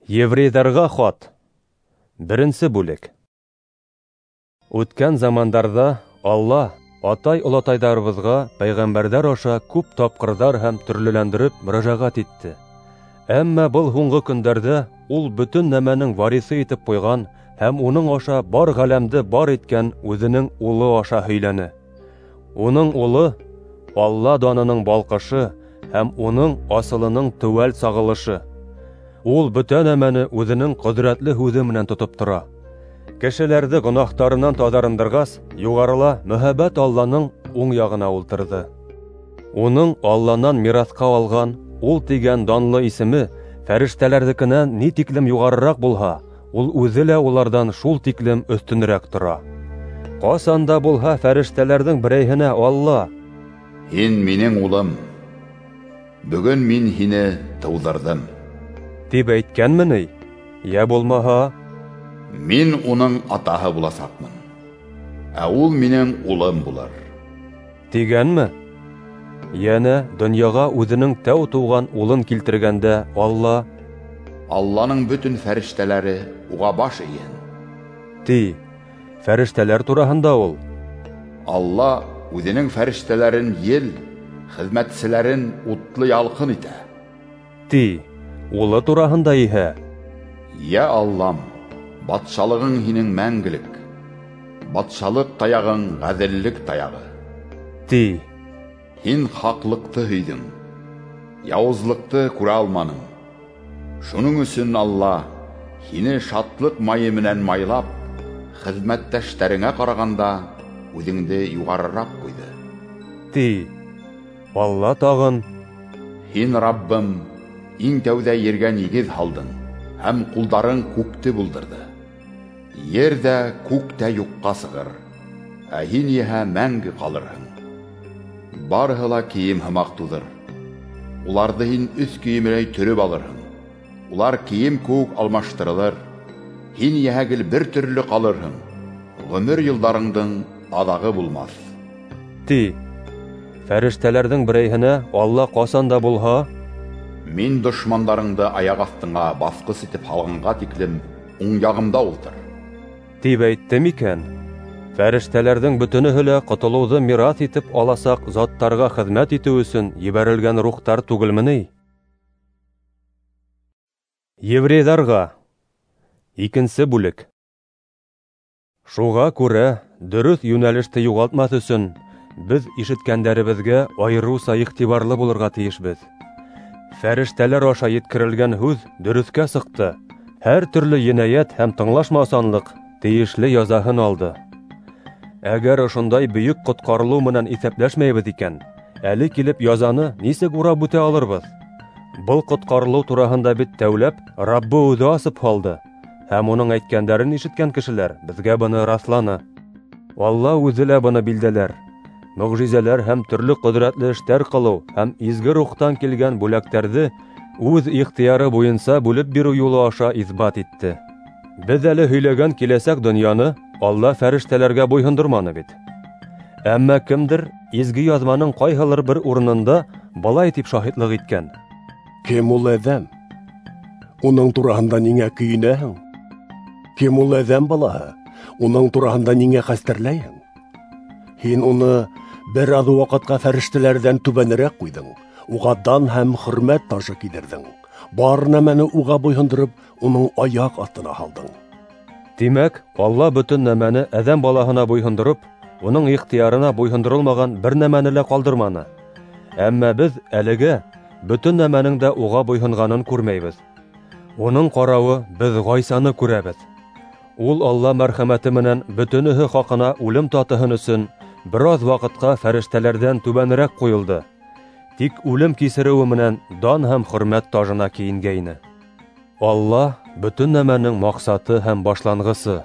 Еврейҙарға хат. 1 бүлек. Үткән замандарҙа Алла атай-олатайҙарыбыҙға пәйғәмбәрҙәр аша күп тапҡырҙар һәм төрлөләндереп мөрәжәғәт итте. Әммә был һуңғы көндәрҙә ул бөтөн нәмәнең вариҫы итеп ҡуйған һәм уның аша бар ғаләмде бар иткән үҙенең улы аша һөйләне. Уның улы Алла данының балҡышы һәм уның асылының теүәл сағылышы. Ул бөтә нәмәне үҙенең ҡөҙрәтле һүҙе менән тотоп тора. Кешеләрҙе гонаһтарынан таҙарындырғас, юғарыла мөһабәт Алланың уң яғына ултырҙы. Уның Алланан мираҫҡа алған ул тигән данлы исеме фәрештәләрҙекенән ни тиклем юғарыраҡ булһа, ул үҙе лә уларҙан шул тиклем өҫтөнөрәк тора. Ҡасан да булһа фәрештәләрҙең берәйһенә Алла: "Һин минең улым, бөгөн мин һине тыуҙырҙым" тип әйткәнме ни? Йә булмаһа, "Мин уның атаһы буласаҡмын, ә ул минең улым булыр" тигәнме? Йәнә донъяға үҙенең тәү тыуған улын килтергәндә Алла: "Алланың бөтөн фәрештәләре уға баш эйһен" ти. Фәрештәләр тураһында ул: "Алла үҙенең фәрештәләрен ел, хеҙмәтселәрен утлы ялҡын итә" ти. Улы тураһында иһә: "Йә Аллам, батшалығың һинең мәңгелек, батшалыҡ таяғың ғәҙеллек таяғы" ти. Һин хаҡлыҡты һөйҙөң, яуызлыҡты күрә алманың. Шуның өсөн Алла һине шатлыҡ майы менән майлап, хеҙмәттәштәреңә ҡарағанда үҙеңде юғарыраҡ ҡуйҙы" ти. Алла тағын: "Һин, Раббым, иң тәүҙә ергә нигеҙ һалдың һәм ҡулдарың күкте булдырҙы. Ер ҙә, күк тә юҡҡа сығыр, ә һин иһә мәңге ҡалырһың. Барыһы ла кейем һымаҡ туҙыр, уларҙы һин өҫ кейемеләй төрөп алырһың. Улар кейем кеүек алмаштырылыр, һин иһә гел бер төрлө ҡалырһың, ғүмер йылдарыңдың аҙағы булмаҫ" ти. Фәрештәләрҙең берәйһенә Алла ҡасан да булһа: "Мин дошмандарыңды аяҡ аҫтыңа баҫҡыс итеп һалғанға тиклем уң яғымда ултыр" тип әйтте микән? Фәрештәләрҙең бөтөнөһө лә ҡотолоуҙы мираҫ итеп аласаҡ заттарға хеҙмәт итеү өсөн ебәрелгән рухтар түгелме ни? Еврейҙарға. 2 бүлек. Шуға күрә дөрөҫ йүнәлеште юғалтмаҫ өсөн беҙ ишеткәндәребеҙгә айырыуса иғтибарлы булырға тейешбеҙ. Фәрештәләр аша еткерелгән һүҙ дөрөҫкә сыҡты. Һәр төрлө енәйәт һәм тыңлашмаусанлыҡ тейешле язаһын алды. Әгәр ошондай бөйөк ҡотҡарылыу менән иҫәпләшмәйбеҙ икән, әле килеп язаны нисек урап үтә алырбыҙ? Был ҡотҡарылыу тураһында бит тәүләп Раббы үҙе асып һалды, һәм уның әйткәндәрен ишеткән кешеләр беҙгә быны раҫланы. Алла үҙе лә быны билдәләр. Мөғжизәләр һәм төрлө ҡөҙрәтле эштәр ҡылыу һәм изге рухтан килгән бүләктәрҙе үҙ ихтыяры буйынса бүлеп биреү юлы аша иҫбат итте. Беҙ әле һөйләгән киләсәк донъяны Алла фәрештәләргә буйһондорманы бит. Әммә кемдер изге яҙманың ҡайһылыр бер урынында былай тип шаһитлыҡ иткән: "Кем ул әҙәм? Уның тураһында ниңә көйөнәһең? Кем ул әҙәм балаһы? Уның тураһында ниңә хәстәрләйһең? Һин уны бер аҙ ваҡытҡа фәрештәләрҙән түбәнерәк ҡуйҙың, уға дан һәм хөрмәт тажы кейҙерҙең, бар нәмәне уға буйһондороп, уның аяҡ аҫтына һалдың." Тимәк, Алла бөтөн нәмәне әҙәм балаһына буйһондороп, уның ихтыярына буйһондоролмаған бер нәмәне лә ҡалдырманы. Әммә беҙ әлегә бөтөн нәмәнең дә уға буйһонғанын күрмәйбеҙ. Уның ҡарауы беҙ Ғайсаны күрәбеҙ. Ул Алла мәрхәмәте менән бөтөнөһө хаҡына үлем татыһын өсөн бер аҙ ваҡытҡа фәрештәләрҙән түбәнерәк ҡуйылды. Тик үлем кисереүе менән дан һәм хөрмәт тажына кейенгәйне. Алла бөтөн нәмәнең маҡсаты һәм башланғысы.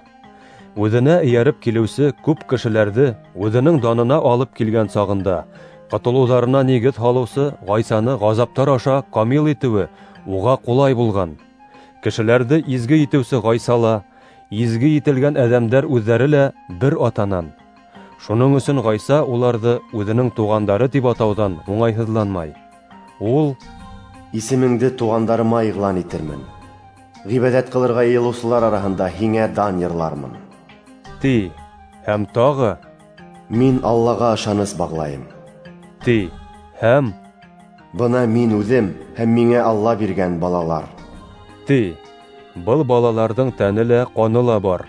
Үҙенә эйәреп килеүсе күп кешеләрҙе үҙенең данына алып килгән сағында ҡотолоуҙарына нигеҙ һалыусы Ғайсаны ғазаптар аша камил итеүе уға ҡулай булған. Кешеләрҙе изге итеүсе Ғайса ла, изге ителгән әҙәмдәр үҙҙәре лә бер атанан. Шуның өсөн Ғайса уларҙы үҙенең туғандары тип атауҙан уңайһыҙланмай. Ул: "Исемеңде туғандарыма иғлан итермен, Ғибәҙәт ҡылырға йыйылыусылар араһында һиңә дан йырлармын. Ти. Һәм тағы: Мин Аллаға ышаныс бағлайым. Ти. Һәм: Бына мин үҙем һәм миңә Алла биргән балалар. Ти. Был балаларҙың тәне лә, ҡаны ла бар.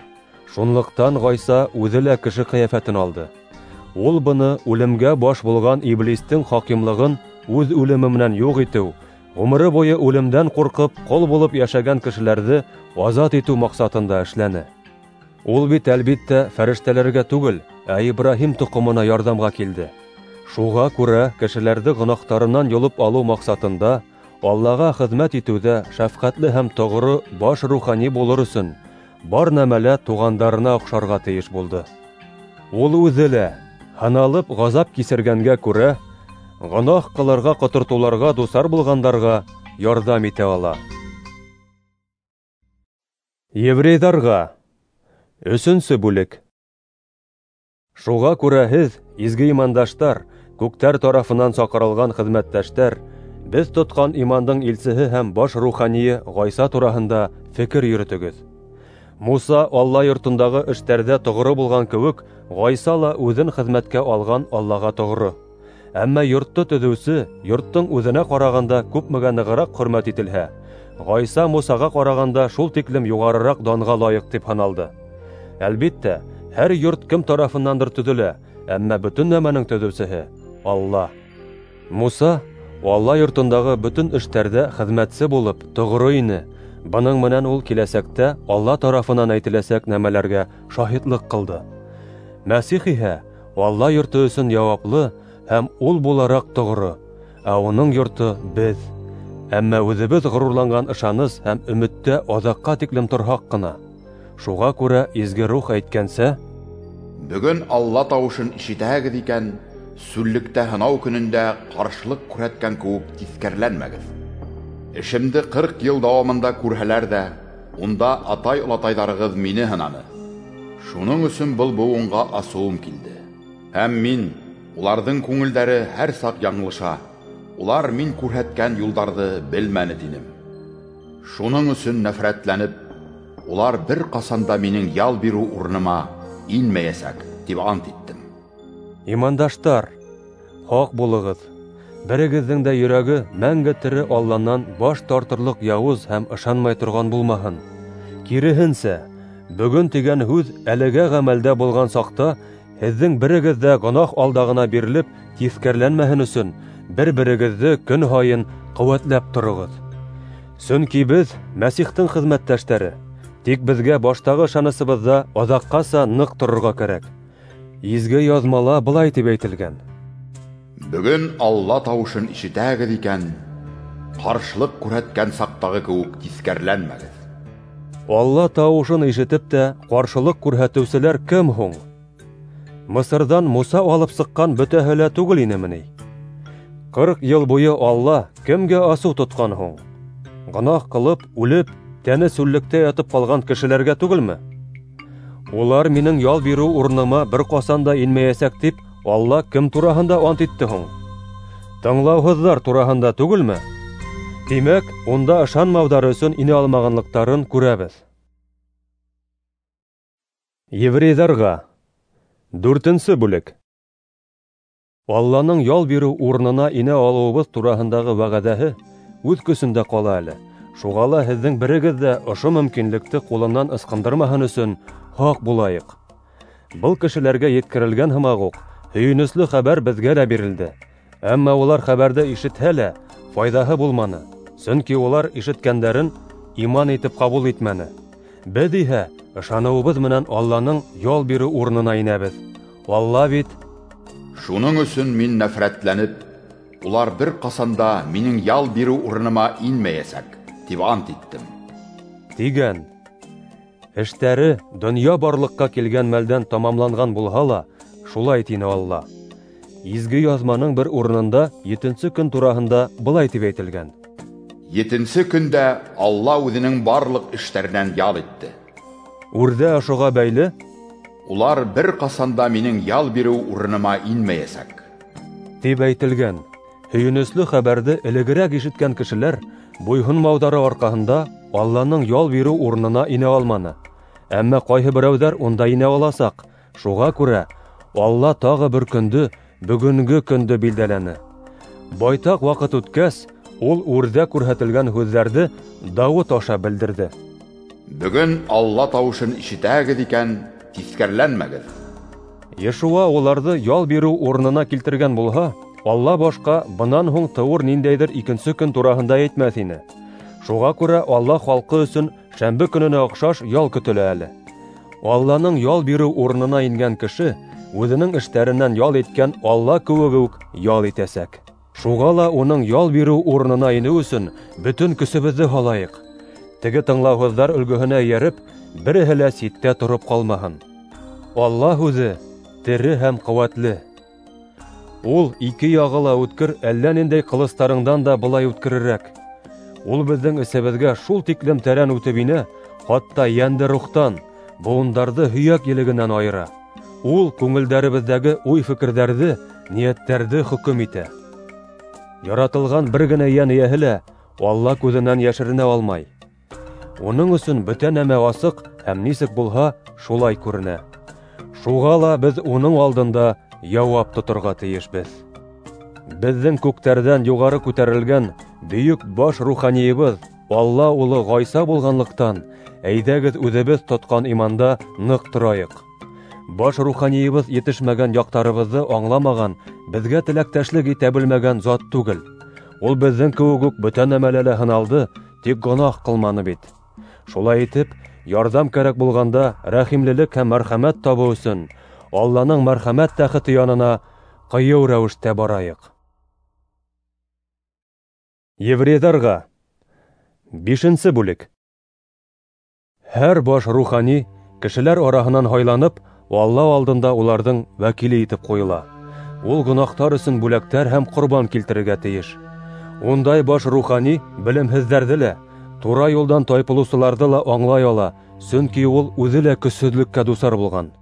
Шунлыҡтан Ғайса үҙе лә кеше ҡиәфәтен алды. Ул быны үлемгә баш булған иблистең хакимлығын үҙ үлеме менән юҡ итеү, ғүмере буйы үлемдән ҡурҡып ҡол булып йәшәгән кешеләрҙе азат итеү маҡсатында эшләне. Ул бит әлбиттә фәрештәләргә түгел, ә Ибраһим тоҡомона ярҙамға килде. Шуға күрә кешеләрҙе гонаһтарынан йолоп алыу маҡсатында Аллаға хеҙмәт итеүҙә шәфҡәтле һәм тоғро баш рухани булыр өсөн бар нәмәлә туғандарына оҡшарға тейеш булды. Ул үҙе лә һыналып ғазап кисергәнгә күрә гонаһ ҡылырға ҡотортоуларға дусар булғандарға ярҙам итә ала. Еврейҙарға 3-нсе бүлек. Шуға күрә һеҙ, изге имандаштар, күктәр тарафынан саҡырылған хеҙмәттәштәр, беҙ тотҡан имандың илсеһе һәм баш руханийы Ғайса тураһында фекер йөрөтөгөҙ. Муса Алла йортондағы эштәрҙә тоғро булған кеүек, Ғайса ла үҙен хеҙмәткә алған Аллаға тоғро. Әммә йортто төҙөүсе йорттоң үҙенә ҡарағанда күпмегә нығыраҡ хөрмәт ителһә, Ғайса Мусаға ҡарағанда шул тиклем юғарыраҡ данға лайыҡ тип һаналды. Әлбиттә, һәр йорт кем тарафыннандыр төҙөлә, әммә бөтөн нәмәнең төҙөүсеһе Алла. Муса Алла йортондағы бөтөн эштәрҙә хеҙмәтсе булып тоғро ине. Бының менән ул киләсәктә Алла тарафынан әйтеләсәк нәмәләргә шаһитлыҡ ҡылды. Мәсих иһә Алла йорто өсөн яуаплы һәм ул булараҡ тоғро, ә уның йорто беҙ. Әммә үҙебеҙ ғорурланған ышаныс һәм өмөттә аҙаҡҡа тиклем торһаҡ ҡына. Шуға күрә Изге Рух әйткәнсә: Бөгөн Алла тауышын ишетәһегеҙ икән, сүллектә һынау көнөндә ҡаршылыҡ күрһәткән кеүек тиҫкәреләнмәгеҙ. Эшемде 40 йыл дауамында күрһәләр ҙә, унда атай-олатайҙарығыҙ мине һынаны. Шуның өсөн был быуынға асыуым килде. Һәм мин, уларҙың күңелдәре һәр саҡ яңылыша, улар мин күрһәткән юлдарҙы белмәне тинем. Шуның өсөн нәфрәтләнеп, улар бер ҡасан да минең ял биреү урыныма инмәйәсәк, тип ант иттем. Имандаштар, һаҡ булығыҙ. Берегеҙҙең дә йөрәге мәңге тере Алланан баш тартырлыҡ яуыз һәм ышанмай торған булмаһын. Киреһенсә, бөгөн тигән һүҙ әлегә ғәмәлдә булған саҡта һеҙҙең берегеҙ ҙә гонаһ алдағына бирелеп тиҫкәреләнмәһен өсөн бер-берегеҙҙе көн һайын ҡеүәтләп тороғоҙ. Сөнки беҙ Мәсихтең хеҙмәттәштәре. Тик беҙгә баштағы ышанысыбыҙҙа аҙаҡҡаса ныҡ торорға кәрәк. Изге яҙмала былай тип әйтелгән: Бөгөн Алла тауышын ишетәһегеҙ икән, ҡаршылыҡ күрһәткән саҡтағы кеүек тиҫкәреләнмәгеҙ. Алла тауышын ишетеп тә ҡаршылыҡ күрһәтеүселәр кем һуң? Мысырҙан Муса алып сыҡҡан бөтәһе лә түгел инеме ни? 40 йыл буйы Алла кемгә асыу тотҡан һуң? Гонаһ ҡылып, үлеп, тәне сүллектә ятып ҡалған кешеләргә түгелме? Улар минең ял биреү урыныма бер ҡасан да инмәйәсәк тип Алла кем тураһында ант итте һуң? Тыңлауһыҙҙар тураһында түгелме? Тимәк, унда ышанмауҙары өсөн инә алмағанлыҡтарын күрәбеҙ. Еврейҙарға 4-нсе бүлек. Алланың ял биреү урынына инә алыуыбыҙ тураһындағы вәғәҙәһе үҙ көсөндә ҡала әле. Шуға ла һеҙҙең берегеҙ ҙә ошо мөмкинлекте ҡулынан ысҡындырмаһын өсөн һаҡ булайыҡ. Был кешеләргә еткерелгән һымаҡ уҡ һөйөнөслө хәбәр беҙгә лә бирелде. Әммә улар хәбәрҙе ишетһә лә файҙаһы булманы, сөнки улар ишеткәндәрен иман итеп ҡабул итмәне. Беҙ иһә ышаныуыбыҙ менән Алланың ял биреү урынына инәбеҙ. Алла бит: Шуның өсөн мин нәфрәтләнеп, улар бер ҡасан да минең ял биреү урыныма инмәйәсәк, тип ант иттем, тигән. Эштәре донъя барлыҡҡа килгән мәлдән тамамланған булһа ла, шулай тине Алла. Изге яҙманың бер урынында 7-нсе көн тураһында былай тип әйтелгән: 7-нсе көндә Алла үҙенең барлыҡ эштәренән ял итте. Үрҙә ошоға бәйле: Улар бер ҡасан да минең ял биреү урыныма инмәйәсәк, тип әйтелгән. Һөйөнөслө хәбәрҙе элегерәк ишеткән кешеләр Буйһонмауҙары арҡаһында Алланың ял биреү урынына инә алманы. Әммә ҡайһы берәүҙәр унда инә аласаҡ. Шуға күрә Алла тағы бер көндө, бөгөнгө көндө билдәләне. Байтаҡ ваҡыт үткәс, ул үрҙә күрһәтелгән һүҙҙәрҙе Дауыт аша белдерҙе. Бөгөн Алла тауышын ишетәһегеҙ икән, тиҫкәреләнмәгеҙ. Йешуа уларҙы ял биреү урынына килтергән булһа, Алла башҡа бынан һуң тыуыр ниндәйҙер икенсе көн тураһында әйтмәҫ ине. Шуға күрә Алла халҡы өсөн шәмбе көнөнә оҡшаш ял көтөлә әле. Алланың ял биреү урынына ингән кеше үҙенең эштәренән ял иткән Алла кеүек үк ял итәсәк. Шуға ла уның ял биреү урынына инеү өсөн бөтөн көсөбөҙҙө һалайыҡ. Теге тыңлауһыҙҙар өлгөһөнә эйәреп, береһе лә ситтә тороп ҡалмаһын. Алла һүҙе тере һәм ҡеүәтле. Ул ике яғы ла үткер әллә ниндәй ҡылыстарыңдан да былай үткерерәк. Ул беҙҙең эсебеҙгә шул тиклем тәрән үтеп инә, хатта йәнде рухтан, быуындарҙы һөйәк елегенән айыра. Ул күңелдәребеҙҙәге уй-фекерҙәрҙе, ниәттәрҙе хөкөм итә. Яратылған бер генә йән эйәһе лә Алла күҙенән йәшеренә алмай. Уның өсөн бөтә нәмә асыҡ һәм нисек булһа, шулай күренә. Шуға ла беҙ уның алдында яуап тоторға тейешбеҙ. Беҙҙең күктәрҙән юғары күтәрелгән бөйөк баш руханийыбыҙ Алла улы Ғайса булғанлыҡтан, әйҙәгеҙ үҙебеҙ тотҡан иманда ныҡ торайыҡ. Баш руханийыбыҙ етешмәгән яҡтарыбыҙҙы аңламаған, беҙгә теләктәшлек итә белмәгән зат түгел. Ул беҙҙең кеүек үк бөтә нәмәлә лә һыналды, тик гонаһ ҡылманы бит. Шулай итеп, ярҙам кәрәк булғанда рәхимлелек һәм мәрхәмәт табыу өсөн Алланың мәрхәмәт тәхете янына ҡыйыу рәүештә барайыҡ. Еврейҙарға 5-нсе бүлек. Һәр баш рухани кешеләр араһынан һайланып, Алла алдында уларҙың вәкиле итеп ҡуйыла. Ул гонаһтар өсөн бүләктәр һәм ҡорбан килтерергә тейеш. Ундай баш рухани белемһеҙҙәрҙе лә, тура юлдан тайпылыусыларҙы ла аңлай ала, сөнки ул үҙе лә көсһөҙлөккә дусар булған.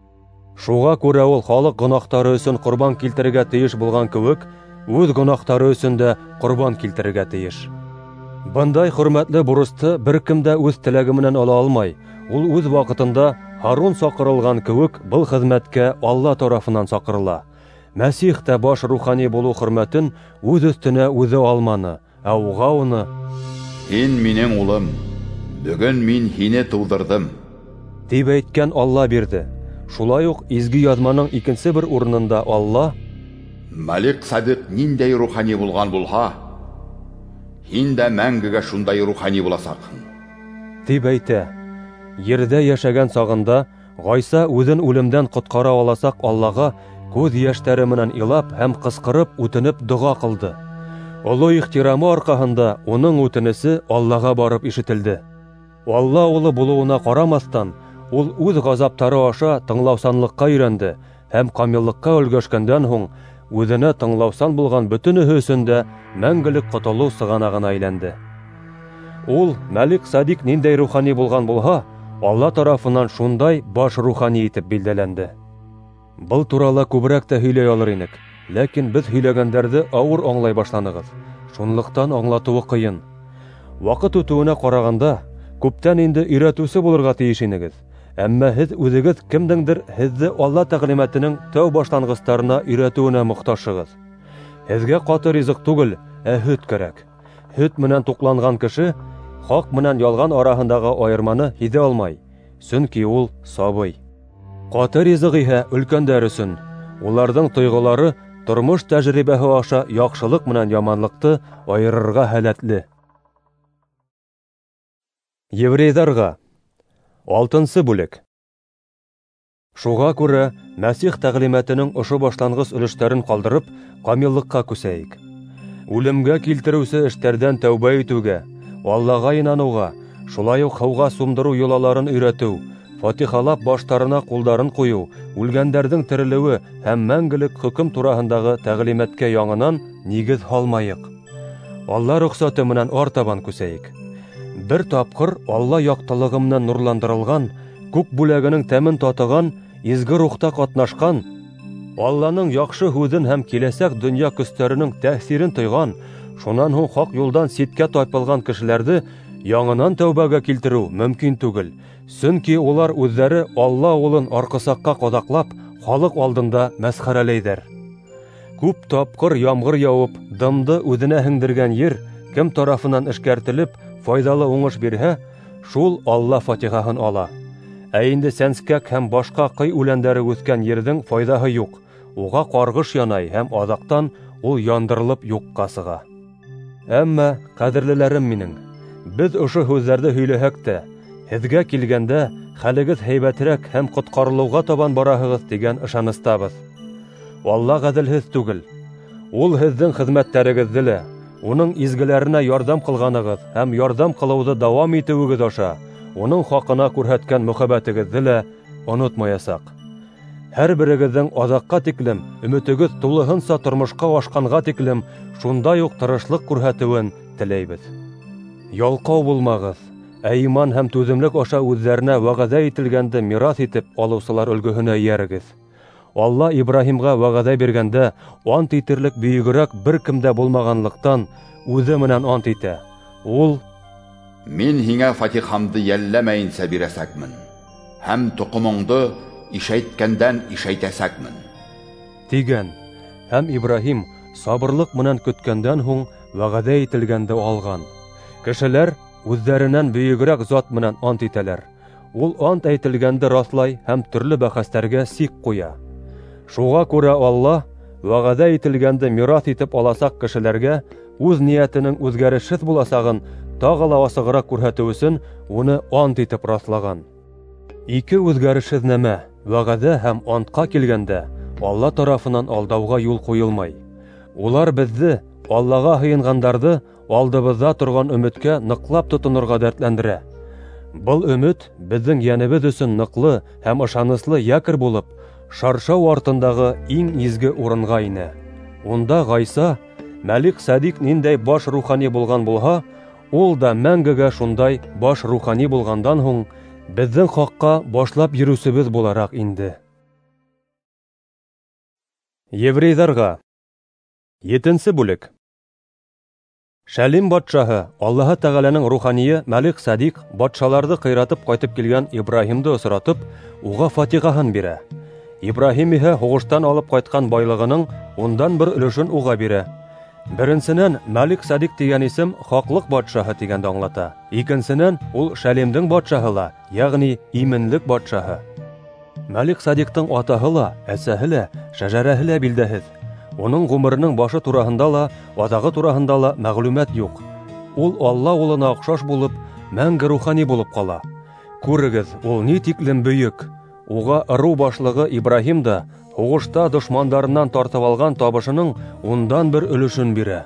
Шуға күрә ул халыҡ гонаһтары өсөн ҡорбан килтерергә тейеш булған кеүек, үҙ гонаһтары өсөн дә ҡорбан килтерергә тейеш. Бындай хөрмәтле бурысты бер кем дә үҙ теләге менән ала алмай. Ул үҙ ваҡытында Һарун саҡырылған кеүек был хеҙмәткә Алла тарафынан саҡырыла. Мәсих тә баш рухани булыу хөрмәтен үҙ өҫтөнә үҙе алманы, ә уға уны: "Һин минең улым, бөгөн мин һине тыуҙырҙым", тип әйткән Алла бирҙе. Шулай уҡ Изге Яҙманың икенсе бер урынында Алла: "Мәлик Садиҡ ниндәй рухани булған булһа, һин дә мәңгегә шундай рухани буласаҡһың", тип әйтә. Ерҙә йәшәгән сағында Ғайса үҙен үлемдән ҡотҡара аласаҡ Аллаға күҙ йәштәре менән илап һәм ҡысҡырып үтенеп доға ҡылды. Оло ихтирамы арҡаһында уның үтенесе Аллаға барып ишетелде. Алла улы булыуына ҡарамаҫтан, ул үҙ ғазаптары аша тыңлаусанлыҡҡа өйрәнде һәм камиллыҡҡа өлгәшкәндән һуң үҙенә тыңлаусан булған бөтөнөһө өсөн дә мәңгелек ҡотолоу сығанағына әйләнде. Ул Мәлик Садиҡ ниндәй рухани булған булһа, Алла тарафынан шундай баш рухани итеп билдәләнде. Был турала күберәк тә һөйләй алыр инек, ләкин беҙ һөйләгәндәрҙе ауыр аңлай башланығыҙ. Шунлыҡтан аңлатыуы ҡыйын. Ваҡыт үтеүенә ҡарағанда, күптән инде өйрәтеүсе булырға тейеш инегеҙ. Әммә һеҙ үҙегеҙ кемдеңдер һеҙҙе Алла тәғлимәтенең тәү башланғыстарына өйрәтеүенә мохтажһығыҙ. Һеҙгә ҡаты ризыҡ түгел, ә һөт кәрәк. Һөт менән туҡланған кеше хаҡ менән ялған араһындағы айырманы һиҙә алмай, сөнки ул сабый. Ҡаты ризыҡ иһә өлкәндәр өсөн. Уларҙың тойғолары тормош тәжрибәһе аша яҡшылыҡ менән яманлыҡты айырырға һәләтле. Еврейҙарға 6-нсы бүлек. Шуға күрә Мәсих тәғлимәтенең ошо башланғыс өлөштәрен ҡалдырып, камиллыҡҡа күсәйек. Үлемгә килтереүсе эштәрҙән тәүбә итеүгә, Аллаға инаныуға, шулай уҡ һыуға сумдырыу йолаларын өйрәтеү, фатихалап баштарына ҡулдарын ҡуйыу, үлгәндәрҙең терелеүе һәм мәңгелек хөкөм тураһындағы тәғлимәткә яңынан нигеҙ һалмайыҡ. Алла рөхсәте менән артабан күсәйек. Бер тапҡыр Алла яҡтылығы менән нурландырылған, күк бүләгенең тәмен татыған, изге рухта ҡатнашҡан, Алланың яҡшы һүҙен һәм киләсәк донъя көстәренең тәьҫирен тойған, Шунан һуң хаҡ юлдан ситкә тайпылған кешеләрҙе яңынан тәүбәгә килтереү мөмкин түгел, сөнки улар үҙҙәре Алла улын арҡысаҡҡа ҡаҙаҡлап, халыҡ алдында мәсхәрәләйҙәр. Күп тапҡыр ямғыр яуып, дымды үҙенә һеңдергән ер кем тарафынан эшкәртелеп, файҙалы уңыш бирһә, шул Алла фатихаһын ала. Ә инде сәнскәк һәм башҡа ҡый үләндәре үҫкән ерҙең файҙаһы юҡ, уға ҡарғыш янай һәм аҙаҡтан ул яндырылып юҡҡа сыға. Әммә, ҡәҙерлеләрем минең, беҙ ошо һүҙҙәрҙе һөйләһәк тә, һеҙгә килгәндә хәлегеҙ һәйбәтерәк һәм ҡотҡарылыуға табан бараһығыҙ тигән ышаныстабыҙ. Алла ғәҙелһеҙ түгел. Ул һеҙҙең хеҙмәттәрегеҙҙе лә, уның изгеләренә ярҙам ҡылғанығыҙ һәм ярҙам ҡылыуҙы дауам итеүегеҙ аша уның хаҡына күрһәткән мөхәббәтегеҙҙе лә онотмаясаҡ. Һәр берегеҙҙең аҙаҡҡа тиклем өмөтөгөҙ тулыһынса тормошҡа ашҡанға тиклем шундай уҡ тырышлыҡ күрһәтеүен теләйбеҙ. Ялҡау булмағыҙ, ә иман һәм түҙемлек аша үҙҙәренә вәғәҙә ителгәнде мираҫ итеп алыусылар өлгөһөнә эйәрегеҙ. Алла Ибраһимға вәғәҙә биргәндә ант итерлек бөйөгөрәк бер кем дә булмағанлыҡтан үҙе менән ант итә. Ул: Мин һиңә фатихамды йәлләмәйенсә бирәсәкмен, һәм тоҡомоңдо ишәйткәндән ишәйтәсәкмен, тигән. Һәм Ибраһим сабырлыҡ менән көткәндән һуң вәғәҙә ителгәнде алған. Кешеләр үҙҙәренән бөйөгөрәк зат менән ант итәләр. Ул ант әйтелгәнде раҫлай һәм төрлө бәхәстәргә сик ҡуя. Шуға күрә Алла вәғәҙә ителгәнде мираҫ итеп аласаҡ кешеләргә үҙ ниәтенең үҙгәрешһеҙ буласағын тағы ла асығыраҡ күрһәтеү өсөн уны ант итеп раҫлаған. Ике үҙгәрешһеҙ нәмә, вәғәҙә һәм антҡа килгәндә, Алла тарафынан алдауға юл ҡуйылмай. Улар беҙҙе, Аллаға һыйынғандарҙы, алдыбыҙҙа торған өмөткә ныҡлап тотонорға дәртләндерә. Был өмөт беҙҙең йәнебеҙ өсөн ныҡлы һәм ышаныслы якорь булып, шаршау артындағы иң изге урынға инә. Унда Ғайса, Мәлик Садиҡ ниндәй баш рухани булған булһа, ул да мәңгегә шундай баш рухани булғандан һуң беҙҙең хаҡҡа башлап йөрөүсебеҙ булараҡ инде. Еврейҙарға 7-нсе бүлек. Шәлим батшаһы Аллаһы Тәғәләнең руханийы Мәлик Садиҡ батшаларҙы ҡыйратып ҡайтып килгән Ибраһимды осратып, уға фатихаһын бирә. Ибраһим иһә һуғыштан алып ҡайтҡан байлығының 1/10 өлөшөн уға бирә. Беренсенән, Мәлик Садиҡ тигән исем хаҡлыҡ батшаһы тигәнде аңлата. Икенсенән, ул Шәлимдең батшаһы ла, йәғни именлек батшаһы. Мәлик Садиҡтың атаһы ла, әсәһе лә, шәжәрәһе лә билдәһеҙ. Уның ғүмеренең башы тураһында ла, аҙағы тураһында ла мәғлүмәт юҡ. Ул Алла улына оҡшаш булып, мәңге рухани булып ҡала. Күрегеҙ, ул ни тиклем бөйөк! Уға ырыу башлығы Ибраһим да һуғышта дошмандарынан тартып алған табышының 1/10 өлөшөн бирә.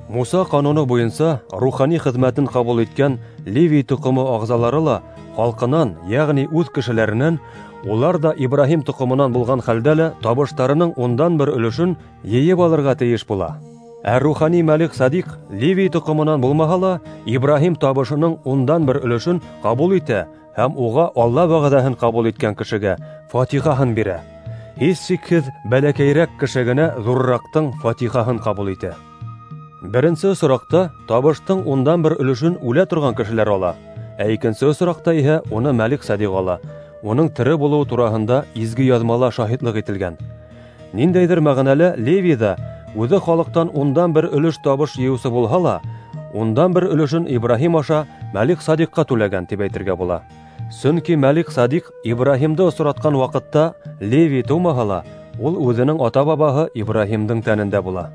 Муса ҡануны буйынса рухани хеҙмәтен ҡабул иткән Левий тоҡомо ағзалары ла халҡынан, йәғни үҙ кешеләренән, улар да Ибраһим тоҡомонан булған хәлдә лә табыштарының 1/10 өлөшөн йыйып алырға тейеш була. Ә рухани Мәлик Садиҡ Левий тоҡомонан булмаһа ла Ибраһим табышының 1/10 өлөшөн ҡабул итә һәм уға Алла вәғәҙәһен ҡабул иткән кешегә фатихаһын бирә. Һис шикһеҙ, бәләкәйерәк кеше генә ҙурыраҡтың фатихаһын ҡабул итә. Беренсе осраҡта табыштың 1/10 өлөшөн үлә торған кешеләр ала, ә икенсе осраҡта иһә уны Мәлик Садиҡ ала. Уның тере булыуы тураһында изге яҙмала шаһитлыҡ ителгән. Ниндәйҙер мәғәнәлә Левий ҙа үҙе халыҡтан 1/10 өлөш табыш йыйыусы булһа ла, 1/10 өлөшөн Ибраһим аша Мәлик Садиҡҡа түләгән тип әйтергә була. Сөнки Мәлик Садиҡ Ибраһимды осратҡан ваҡытта Левий тыумаһа ла, ул үҙенең ата-бабаһы Ибраһимдың тәнендә була.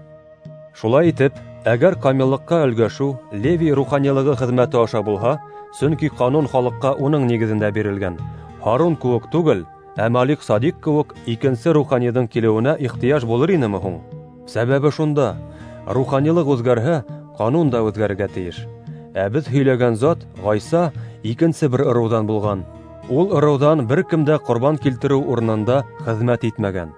Шулай итеп, әгәр камиллыҡҡа өлгәшеү Левий руханилығы хеҙмәте аша булһа, сөнки ҡанун халыҡҡа уның нигеҙендә бирелгән, Һарун кеүек түгел, ә Мәлик Садиҡ кеүек икенсе руханиҙың килеүенә ихтыяж булыр инеме һуң? Сәбәбе шунда: руханилыҡ үҙгәрһә, ҡанун да үҙгәрергә тейеш. Ә беҙ һөйләгән зат Ғайса икенсе бер ырыуҙан булған. Ул ырыуҙан бер кем дә ҡорбан килтереү урынында хеҙмәт итмәгән.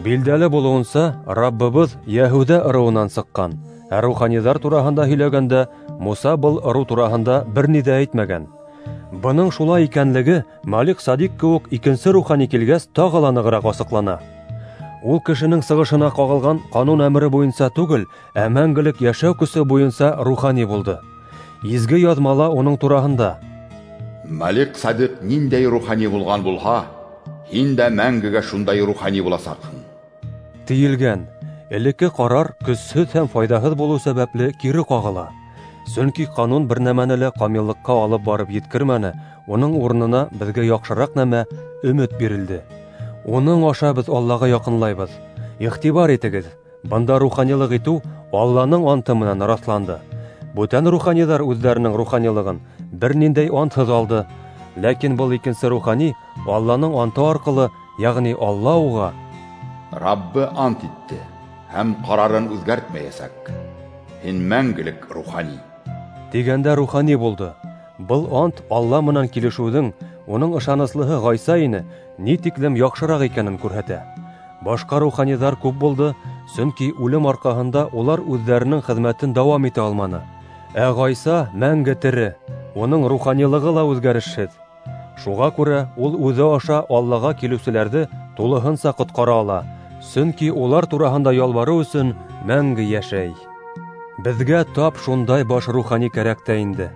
Билдәле булыуынса, Раббыбыҙ Йәһүҙә ырыуынан сыҡҡан. Ә руханиҙар тураһында һөйләгәндә Муса был ырыу тураһында бер ни ҙә әйтмәгән. Бының шулай икәнлеге Мәлик Садиҡ кеүек икенсе рухани килгәс тағы ла нығыраҡ асыҡлана. Ул кешенең сығышына ҡағылған ҡанун әмере буйынса түгел, ә мәңгелек йәшәү көсө буйынса рухани булды. Изге яҙмала уның тураһында: Мәлик-Садиҡ ниндәй рухани булған булһа, һин дә мәңгегә шундай рухани буласаҡһың, тейелгән. Элекке ҡарар көсһөҙ һәм файҙаһыҙ булыу сәбәпле кире ҡағыла. Сөнки ҡанун бер нәмәне лә камиллыҡҡа алып барып еткермәне, уның урынына беҙгә яҡшыраҡ нәмә өмөт бирелде. Уның аша беҙ Аллаға яҡынлайбыҙ. Иғтибар итегеҙ, бында руханилыҡ итеү Алланың анты менән раҫланды. Бүтән руханиҙар үҙҙәренең руханилығын бер ниндәй антһыҙ алды. Ләкин был икенсе рухани Алланың анты арҡылы, йәғни Алла уға Раббы ант итте һәм ҡарарын үҙгәртмәйәсәк. Һин мәңгелек рухани, тигәндә рухани булды. Был ант Алла менән килешеүҙең, уның ышаныслыһы Ғайса ине, ни тиклем яҡшыраҡ икәнен күрһәтә. Башҡа руханиҙар күп булды, сөнки үлем арҡаһында улар үҙҙәренең хеҙмәтен дауам итә алманы. Ә Ғайса мәңге тере, уның руханилығы ла үҙгәрешһеҙ. Шуға күрә ул үҙе аша Аллаға килеүселәрҙе тулыһынса ҡотҡара ала, сөнки улар тураһында ялбарыу өсөн мәңге йәшәй. Беҙгә тап шундай баш рухани кәрәк тә инде.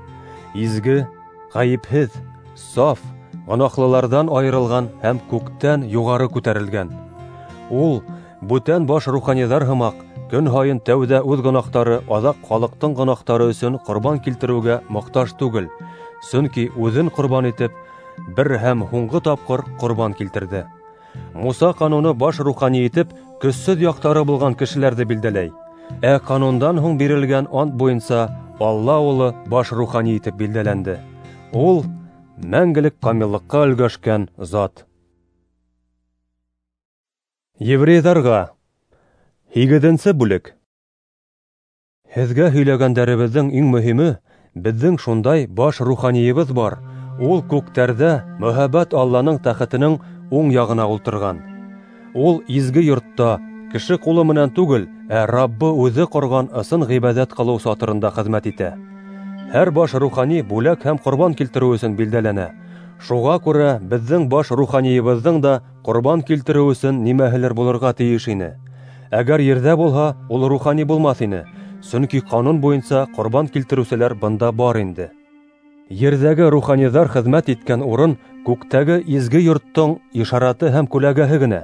Изге, ғәйепһеҙ, саф, гонаһлыларҙан айырылған һәм күктән юғары күтәрелгән. Ул бүтән баш руханиҙар һымаҡ көн һайын тәүҙә үҙ гонаһтары, аҙаҡ халыҡтың гонаһтары өсөн ҡорбан килтереүгә мохтаж түгел, сөнки үҙен ҡорбан итеп бер һәм һуңғы тапҡыр ҡорбан килтерҙе. Муса ҡануны баш рухани итеп көсһөҙ яҡтары булған кешеләрҙе билдәләй. Ә ҡанундан һуң бирелгән ант буйынса Алла улы баш рухани итеп билдәләнде. Ул мәңгелек камиллыҡҡа өлгәшкән зат. Еврейҙарға 8-нсе бүлек. Һеҙгә һөйләгәндәребеҙҙең иң мөһиме, беҙҙең шундай баш руханийыбыҙ бар. Ул күктәрҙә мөһабәт Алланың тәхетенең уң яғына ултырған. Ул изге йортта кеше ҡулы менән түгел, ә Раббы үҙе ҡорған ысын ғибәҙәт ҡылыу сатырында хеҙмәт итә. Һәр баш рухани бүләк һәм ҡорбан килтереү өсөн билдәләнә. Шуға күрә беҙҙең баш руханийыбыҙҙың да ҡорбан килтереү өсөн нимәһелер булырға тейеш ине. Әгәр ерҙә булһа, ул рухани булмаҫ ине, сөнки ҡанун буйынса ҡорбан килтереүселәр бында бар инде. Ерҙәге руханиҙар хеҙмәт иткән урын күктәге изге йорттоң ишараты һәм күләгәһе генә.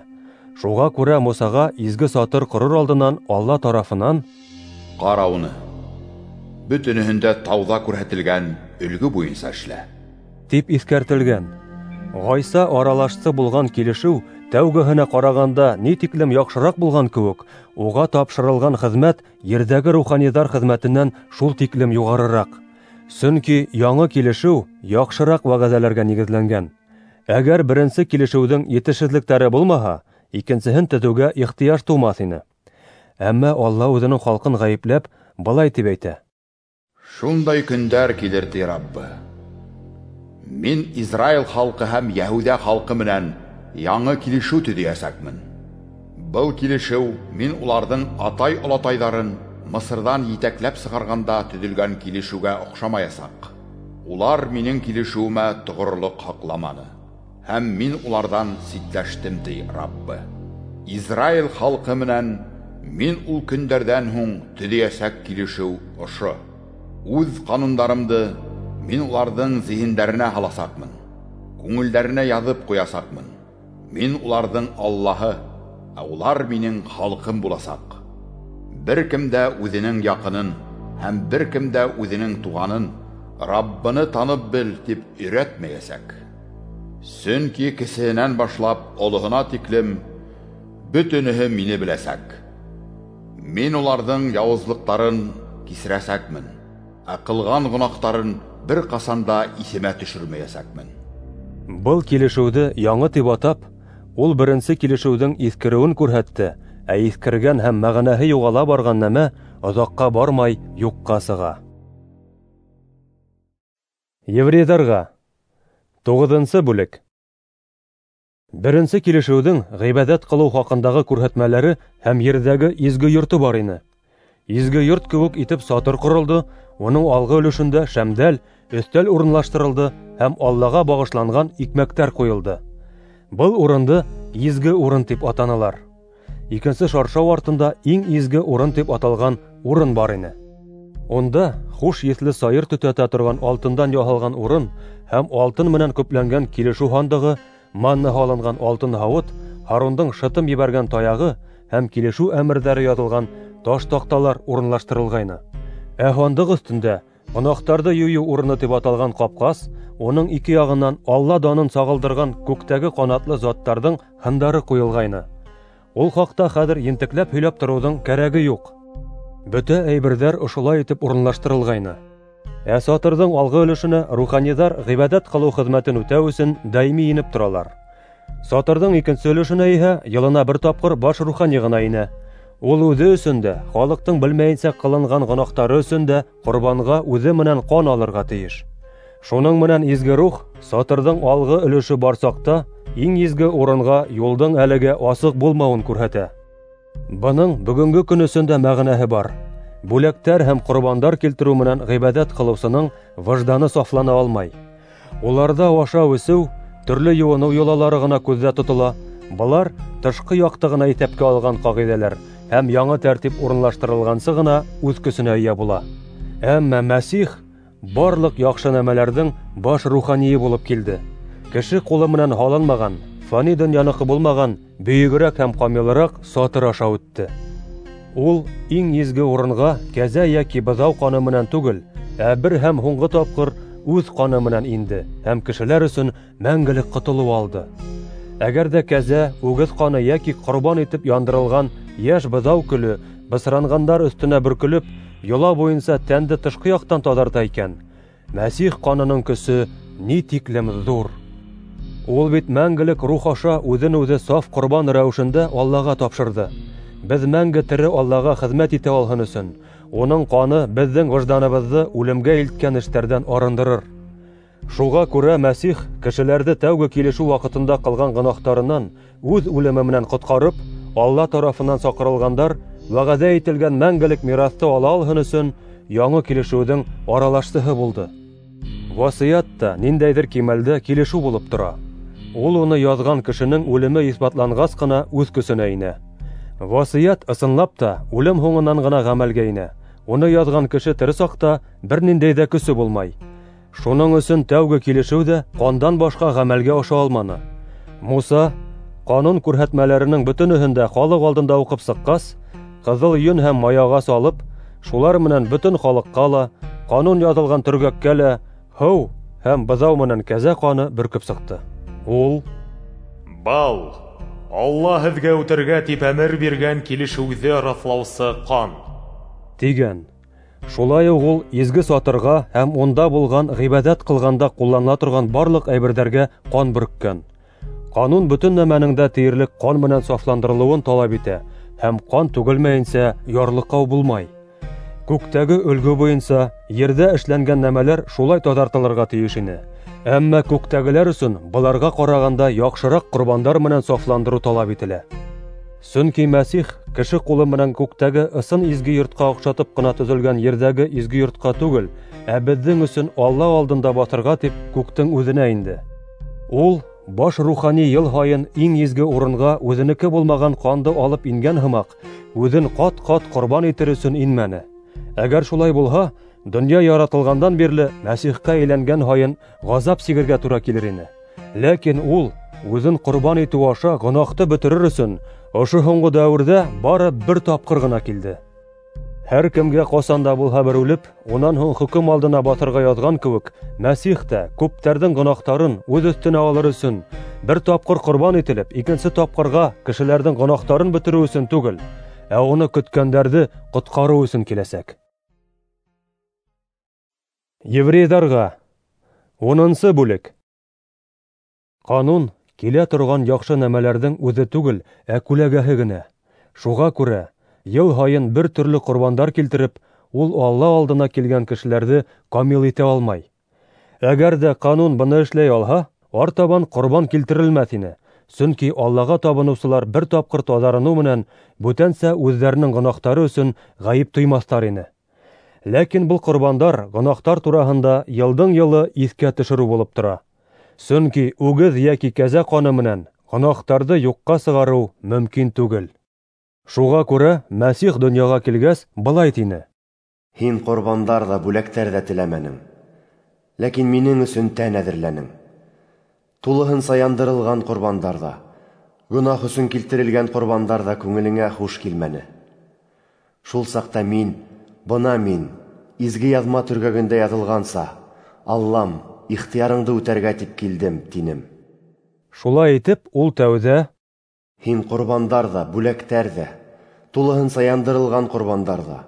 Шуға күрә Мусаға изге сатыр ҡорор алдынан Алла тарафынан: Ҡара уны, бөтөнөһөндә тауҙа күрһәтелгән өлгө буйынса эшлә, тип иҫкәртелгән. Ғайса аралашсы булған килешеү тәүгеһенә ҡарағанда ни тиклем яҡшыраҡ булған кеүек, уға тапшырылған хеҙмәт ерҙәге руханиҙар хеҙмәтенән шул тиклем юғарыраҡ. Сөнки яңы килешеү яҡшыраҡ вәғәҙәләргә нигеҙләнгән. Әгәр беренсе килешеүҙең етешһеҙлектәре булмаһа, икенсеһен төҙөүгә ихтыяж тыумаҫ ине. Әммә Алла үҙенең халҡын ғәйепләп былай тип әйтә: Шундай көндәр килер, ти Раббы. Мин Израил халҡы һәм Йәһүҙә халҡы менән яңы килешеү төҙөйәсәкмен. Был килешеү мин уларҙың атай-олатайҙарын Мысырҙан етәкләп сығарғанда төҙөлгән килешеүгә оҡшамаясаҡ. Улар минең килешеүемә тоғролоҡ һаҡламаны, һәм мин уларҙан ситләштем, ти Раббы. Израил халҡы менән мин ул көндәрҙән һуң төҙөйәсәк килешеү ошо. Үҙ ҡанундарымды мин уларҙың зиһендәренә һаласаҡмын, күңелдәренә яҙып ҡуясаҡмын. Мин уларҙың Аллаһы, ә улар минең халҡым буласаҡ. Бер кем дә үҙенең яҡынын һәм бер кем дә үҙенең туғанын Раббыны танып бел тип өйрәтмәйәсәк. Сөнки кесеһенән башлап олоһона тиклем бөтөнөһө мине беләсәк. Мин уларҙың яуызлыҡтарын кисерәсәкмен, ә ҡылған гонаһтарын бер ҡасан да иҫемә төшөрмәйәсәкмен. Был килешеүҙе яңы тип атап, ул беренсе килешеүҙең иҫкереүен күрһәтте, ә иҫкергән һәм мәғәнәһе юғала барған нәмә оҙаҡҡа бармай юҡҡа сыға. Еврейҙарға 9-нсы бүлек. Беренсе килешеүҙең ғибәҙәт ҡылыу хаҡындағы күрһәтмәләре һәм ерҙәге изге йорто бар ине. Изге йорт кеүек итеп сатыр ҡоролдо, уның алғы өлөшөндә шәмдәл, өҫтәл урынлаштырылды һәм Аллаға бағышланған икмәктәр ҡуйылды. Был урынды изге урын тип атанылар. икенсе шаршау артында иң изге урын тип аталған урын бар ине. Унда хуш еҫле сайыр төтәтә торған алтындан яһалған урын һәм алтын менән көпләнгән килешеү һандығы, манна һалынған алтын һауыт, Һарундың шытым ебәргән таяғы һәм килешеү әмерҙәре яҙылған таш таҡталар урынлаштырылғайны. Ә һандыҡ өҫтөндә гонаһтарҙы юйыу урыны тип аталған ҡапҡас, уның ике яғынан Алла данын сағылдырған күктәге ҡанатлы заттарҙың һындары ҡуйылғайны. Ул хаҡта хәҙер ентекләп һөйләп тороуҙың кәрәге юҡ. Бөтә әйберҙәр ошолай итеп урынлаштырылғайны. Ә сатырҙың алғы өлөшөнә руханиҙар ғибәҙәт ҡылыу хеҙмәтен үтәү өсөн даими инеп торалар. Сатырҙың икенсе өлөшөнә иһә йылына бер тапҡыр баш рухани ғына инә. Ул үҙе өсөн дә, халыҡтың белмәйенсә ҡылынған гонаһтары өсөн дә ҡорбанға үҙе менән ҡан алырға тейеш. Шуның менән изге рух сатырҙың алғы өлөшө бар саҡта иң изге урынға юлдың әлегә асыҡ булмауын күрһәтә. Бының бөгөнгө көн өсөн дә мәғәнәһе бар. Бүләктәр һәм ҡорбандар килтереү менән ғибәҙәт ҡылыусының выжданы сафлана алмай. Уларҙа ашау-эсеү, төрлө йыуыныу йолалары ғына күҙҙә тотола. Былар тышҡы яҡты ғына иҫәпкә алған ҡағиҙәләр һәм яңы тәртип урынлаштырылғансы ғына үҙ көсөнә эйә була. Әммә Мәсих барлыҡ яҡшы нәмәләрҙең баш руханийы булып килде. Кеше ҡулы менән һалынмаған, фани донъяныҡы булмаған бөйөгөрәк һәм камилыраҡ сатыр аша үтте. Ул иң изге урынға кәзә йәки быҙау ҡаны менән түгел, ә бер һәм һуңғы тапҡыр үҙ ҡаны менән инде һәм кешеләр өсөн мәңгелек ҡотолоу алды. Әгәр ҙә кәзә, үгеҙ ҡаны йәки ҡорбан итеп яндырылған йәш быҙау көлө бысранғандар өҫтөнә бөркөлөп, йола буйынса тәнде тышҡы яҡтан таҙарта икән, Мәсих ҡанының көсө ни тиклем ҙур! Ул бит мәңгелек рух аша үҙен үҙе саф ҡорбан рәүешендә Аллаға тапшырҙы. Беҙ мәңге тере Аллаға хеҙмәт итә алһын өсөн, уның ҡаны беҙҙең выжданыбыҙҙы үлемгә илткән эштәрҙән арындырыр. Шуға күрә Мәсих кешеләрҙе тәүге килешеү ваҡытында ҡылған гонаһтарынан үҙ үлеме менән ҡотҡарып, Алла тарафынан саҡырылғандар вәғәҙә ителгән мәңгелек мираҫты ала алһын өсөн яңы килешеүҙең аралашсыһы булды. Васыят та ниндәйҙер кимәлдә килешеү булып тора. Ул уны яҙған кешенең үлеме иҫбатланғас ҡына үҙ көсөнә инә. Васыят ысынлап та үлем һуңынан ғына ғәмәлгә инә. Уны яҙған кеше тере саҡта бер ниндәй ҙә көсө булмай. Шуның өсөн тәүге килешеү ҙә ҡандан башҡа ғәмәлгә аша алманы. Муса ҡанун күрһәтмәләренең бөтөнөһөн дә халыҡ алдында уҡып сыҡҡас, ҡыҙыл йөн һәм маяға салып, шулар менән бөтөн халыҡҡа ла, ҡанун яҙылған төргәккә лә һыу һәм быҙау менән кәзә ҡаны бөркөп сыҡты. Ул: "Был Алла һеҙгә үтергә тип әмер биргән килешеүҙе раҫлаусы ҡан", тигән. Шулай уҡ ул изге сатырға һәм унда булған ғибәҙәт ҡылғанда ҡулланыла торған барлыҡ әйберҙәргә ҡан бөрккән. Ҡанун бөтөн нәмәнең дә тиерлек ҡан менән сафландырылыуын талап итә һәм ҡан түгелмәйенсә ярлыҡау булмай. Күктәге өлгө буйынса ерҙә эшләнгән нәмәләр шулай таҙартылырға тейеш ине. Әммә күктәгеләр өсөн быларға ҡарағанда яҡшыраҡ ҡорбандар менән сафландырыу талап ителә. Сөнки Мәсих кеше ҡулы менән күктәге ысын изге йортҡа оҡшатып ҡына төҙөлгән ерҙәге изге йортҡа түгел, ә беҙҙең өсөн Алла алдында баҫырға тип күктең үҙенә инде. Ул баш рухани йыл һайын иң изге урынға үҙенеке булмаған ҡанды алып ингән һымаҡ, үҙен ҡат-ҡат ҡорбан итер өсөн инмәне. Әгәр шулай булһа, донъя яратылғандан бирле Мәсихҡа әйләнгән һайын ғазап сигергә тура килер ине. Ләкин ул үҙен ҡорбан итеү аша гонаһты бөтөрөр өсөн ошо һуңғы дәүерҙә бары бер тапҡыр ғына килде. Һәр кемгә ҡасан да булһа бер үлеп, унан һуң хөкөм алдына баҫырға яҙған кеүек, Мәсих тә күптәрҙең гонаһтарын үҙ өҫтөнә алыр өсөн бер тапҡыр ҡорбан ителеп, икенсе тапҡырға кешеләрҙең гонаһтарын бөтөрөү өсөн түгел, ә уны көткәндәрҙе ҡотҡарыу өсөн киләсәк. Еврейҙарға 10-нсы бүлек. Ҡанун килә торған яҡшы нәмәләрҙең үҙе түгел, ә күләгәһе генә. Шуға күрә йыл һайын бер төрлө ҡорбандар килтереп, ул Алла алдына килгән кешеләрҙе камил итә алмай. Әгәр ҙә ҡанун быны эшләй алһа, артабан ҡорбан килтерелмәҫ ине. Сөнки Аллаға табыныусылар бер тапҡыр таҙарыныу менән бүтәнсә үҙҙәренең гонаһтары өсөн ғәйеп тоймаҫтар ине. Ләкин был ҡорбандар гонаһтар тураһында йылдың йылы иҫкә төшөрөү булып тора. Сөнки үгеҙ йәки кәзә ҡаны менән гонаһтарҙы юҡҡа сығарыу мөмкин түгел. Шуға күрә Мәсих донъяға килгәс, былай тине: Һин ҡорбандар ҙа, бүләктәр ҙә теләмәнең, ләкин минең өсөн тән әҙерләнең. Тулыһынса яндырылған ҡорбандар ҙа, гонаһ өсөн килтерелгән ҡорбандар ҙа күңелеңә хуш килмәне. Шул саҡта мин, бына мин, изге яҙма төргәгендә яҙылғанса, Аллам, ихтыярыңды үтәргә тип килдем, тинем. Шулай итеп, ул тәүҙә: Һин ҡорбандар ҙа, бүләктәр ҙә, тулыһынса яндырылған ҡорбандар ҙа,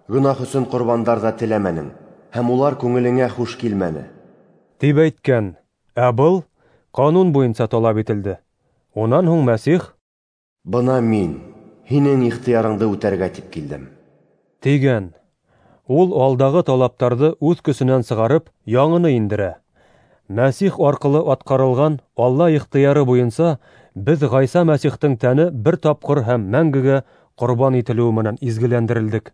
гонаһ өсөн ҡорбандар ҙа теләмәнең, һәм улар күңелеңә хуш килмәне, тип әйткән. Ә был ҡанун буйынса талап ителде. Унан һуң Мәсих: Бына мин, һинең ихтыярыңды үтәргә тип килдем, тигән. Ул алдағы талаптарҙы үҙ көсөнән сығарып, яңыны индерә. Мәсих арҡылы атҡарылған Алла ихтыяры буйынса беҙ Ғайса Мәсихтең тәне бер тапҡыр һәм мәңгегә ҡорбан ителеүе менән изгеләндерелдек.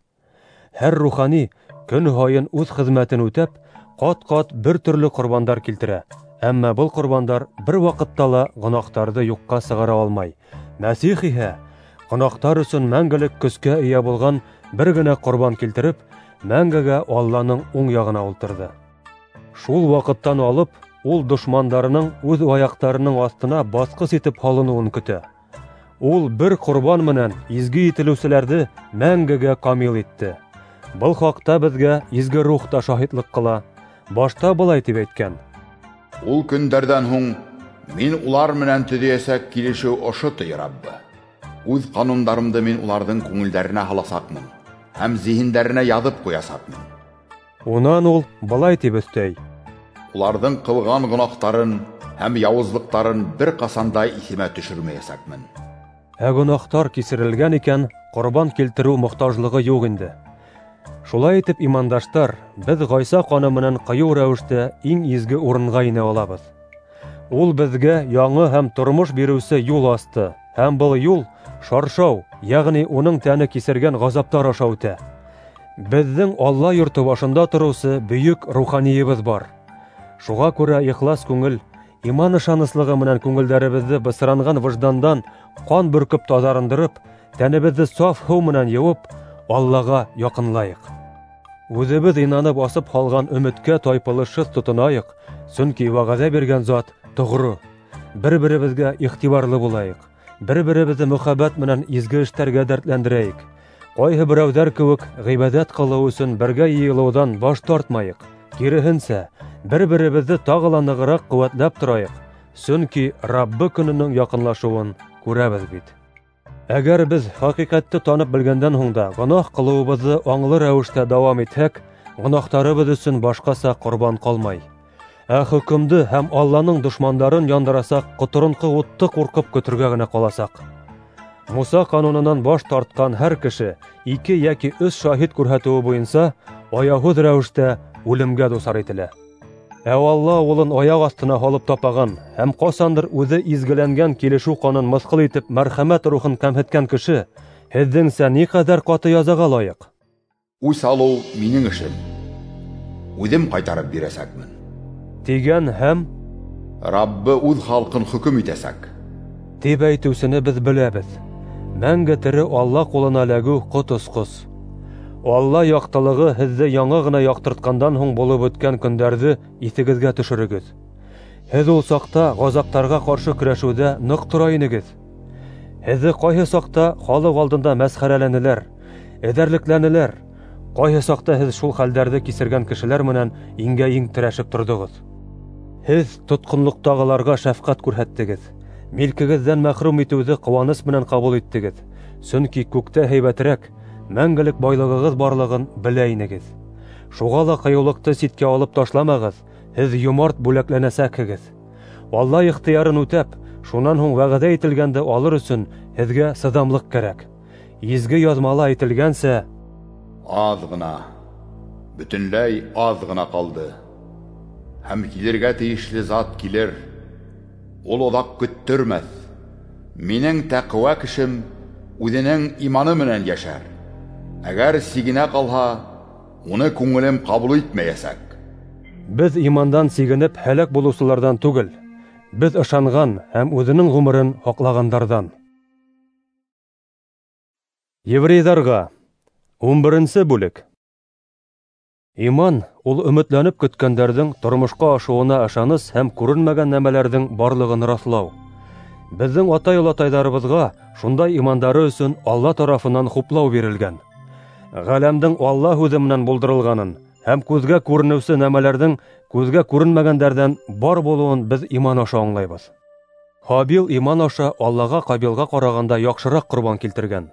Һәр рухани көн һайын үҙ хеҙмәтен үтәп, ҡат-ҡат бер төрлө ҡорбандар килтерә. Әммә был ҡорбандар бер ваҡытта ла гонаһтарҙы юҡҡа сығара алмай. Мәсих иһә гонаһтар өсөн мәңгелек көскә эйә булған бер генә ҡорбан килтереп, мәңгегә Алланың уң яғына ултырҙы. Шул ваҡыттан алып, ул дошмандарының үҙ аяҡтарының аҫтына баҫҡыс итеп һалыныуын көтә. Ул бер ҡорбан менән изге ителеүселәрҙе мәңгегә камил итте. Был хаҡта беҙгә изге рух та шаһитлыҡ ҡыла. Башта былай тип әйткән: Ул көндәрҙән һуң мин улар менән төҙөйәсәк килешеү ошо, ти Раббы. Үҙ ҡанундарымды мин уларҙың күңелдәренә һаласаҡмын һәм зиһендәренә яҙып ҡуясаҡмын. Унан ул былай тип өҫтәй: Уларҙың ҡылған гонаһтарын һәм яуызлыҡтарын бер ҡасан да иҫемә төшөрмәйәсәкмен. Ә гонаһтар кисерелгән икән, ҡорбан килтереү мохтажлығы юҡ инде. Шулай итеп, имандаштар, беҙ Ғайса ҡаны менән ҡыйыу рәүештә иң изге урынға инә алабыҙ. Ул беҙгә яңы һәм тормош биреүсе юл асты, һәм был юл шаршау, йәғни уның тәне кисергән ғазаптар аша үтә. Беҙҙең Алла йорто башында тороусы бөйөк руханийыбыҙ бар. Шуға күрә ихлас күңел, иман ышаныслығы менән күңелдәребеҙҙе бысранған выждандан ҡан бөркөп таҙарындырып, тәнебеҙҙе саф һыу менән йыуып, Аллаға яҡынлайыҡ. Үҙебеҙ инанып асып һалған өмөткә тайпылышһыҙ тотонайыҡ, сөнки вәғәҙә биргән зат тоғро. Бер-беребеҙгә иғтибарлы булайыҡ, бер-беребеҙҙе мөхәббәт менән изге эштәргә дәртләндерәйек. Ҡайһы берәүҙәр кеүек ғибәҙәт ҡылыу өсөн бергә йыйылыуҙан баш тартмайыҡ. Киреһенсә, бер-беребеҙҙе тағы ла нығыраҡ ҡеүәтләп торайыҡ, сөнки Раббы көнөнөң яҡынлашыуын күрәбеҙ бит. Әгәр беҙ хәҡиҡәтте танып белгәндән һуң да гонаһ ҡылыуыбыҙҙы аңлы рәүештә дауам итһәк, гонаһтарыбыҙ өсөн башҡаса ҡорбан ҡалмай. Ә хөкөмдө һәм Алланың дошмандарын яндырасаҡ ҡоторонҡо утты ҡурҡып көтөргә генә ҡаласаҡ. Муса ҡанунынан баш тартҡан һәр кеше 2 йәки 3 шаһит күрһәтеүе буйынса аяуһыҙ рәүештә үлемгә дусар ителә. Ә Алла улын аяҡ аҫтына һалып тапаған һәм ҡасандыр үҙе изгеләнгән килешеү ҡанын мыҫҡыл итеп мәрхәмәт рухын кәмһеткән кеше һеҙҙеңсә ни ҡәҙәр ҡаты язаға лайыҡ? Үс алыу минең эшем, үҙем ҡайтарып бирәсәкмен, тигән һәм Раббы үҙ халҡын хөкөм итәсәк, тип әйтеүсене беҙ беләбеҙ. Мәңге тере Алла ҡулына эләгеү ҡот осҡос. Алла яҡтылығы һеҙҙе яңы ғына яҡтыртҡандан һуң булып үткән көндәрҙе иҫегеҙгә төшөрөгөҙ. Һеҙ ул саҡта ғазаптарға ҡаршы көрәшеүҙә ныҡ тора инегеҙ. Һеҙҙе ҡайһы саҡта халыҡ алдында мәсхәрәләнеләр, эҙәрлекләнеләр. Ҡайһы саҡта һеҙ шул хәлдәрҙе кисергән кешеләр менән иңгә-иң терәшеп торҙоғоҙ. Һеҙ тотҡонлоҡтағыларға шәфҡәт күрһәттегеҙ, милкегеҙҙән мәхрүм итеүҙе ҡыуаныс менән ҡабул иттегеҙ, сөнки күктә һәйбәтерәк, мәңгелек байлығығыҙ барлығын белә инегеҙ. Шуға ла ҡыйыулыҡты ситкә алып ташламағыҙ, һеҙ йомарт бүләкләнәсәкһегеҙ. Алла ихтыярын үтәп, шунан һуң вәғәҙә ителгәнде алыр өсөн һеҙгә сыҙамлыҡ кәрәк. Изге яҙмала әйтелгәнсә, аҙ ғына, бөтөнләй аҙ ғына ҡалды. Һәм килергә тейешле зат килер, ул оҙаҡ көттөрмәҫ. Минең тәҡүә кешем үҙенең иманы менән йәшәр. Әгәр сигенә ҡалһа, уны күңелем ҡабул итмәйәсәк. Беҙ имандан сигенеп һәләк булыусыларҙан түгел, беҙ ышанған һәм үҙенең ғүмерен һаҡлағандарҙан. Еврейҙарға 11-нсе бүлек. Иман ул өмөтләнеп көткәндәрҙең тормошҡа ашыуына ышаныс һәм күренмәгән нәмәләрҙең барлығын раҫлау. Беҙҙең атай-олатайҙарыбыҙға шундай имандары өсөн Алла тарафынан хуплау бирелгән. Ғаләмдең Алла һүҙе менән булдырылғанын һәм күҙгә күренеүсе нәмәләрҙең күҙгә күренмәгәндәрҙән бар булыуын беҙ иман аша аңлайбыҙ. Һабил иман аша Аллаға Ҡабилға ҡарағанда яҡшыраҡ ҡорбан килтергән.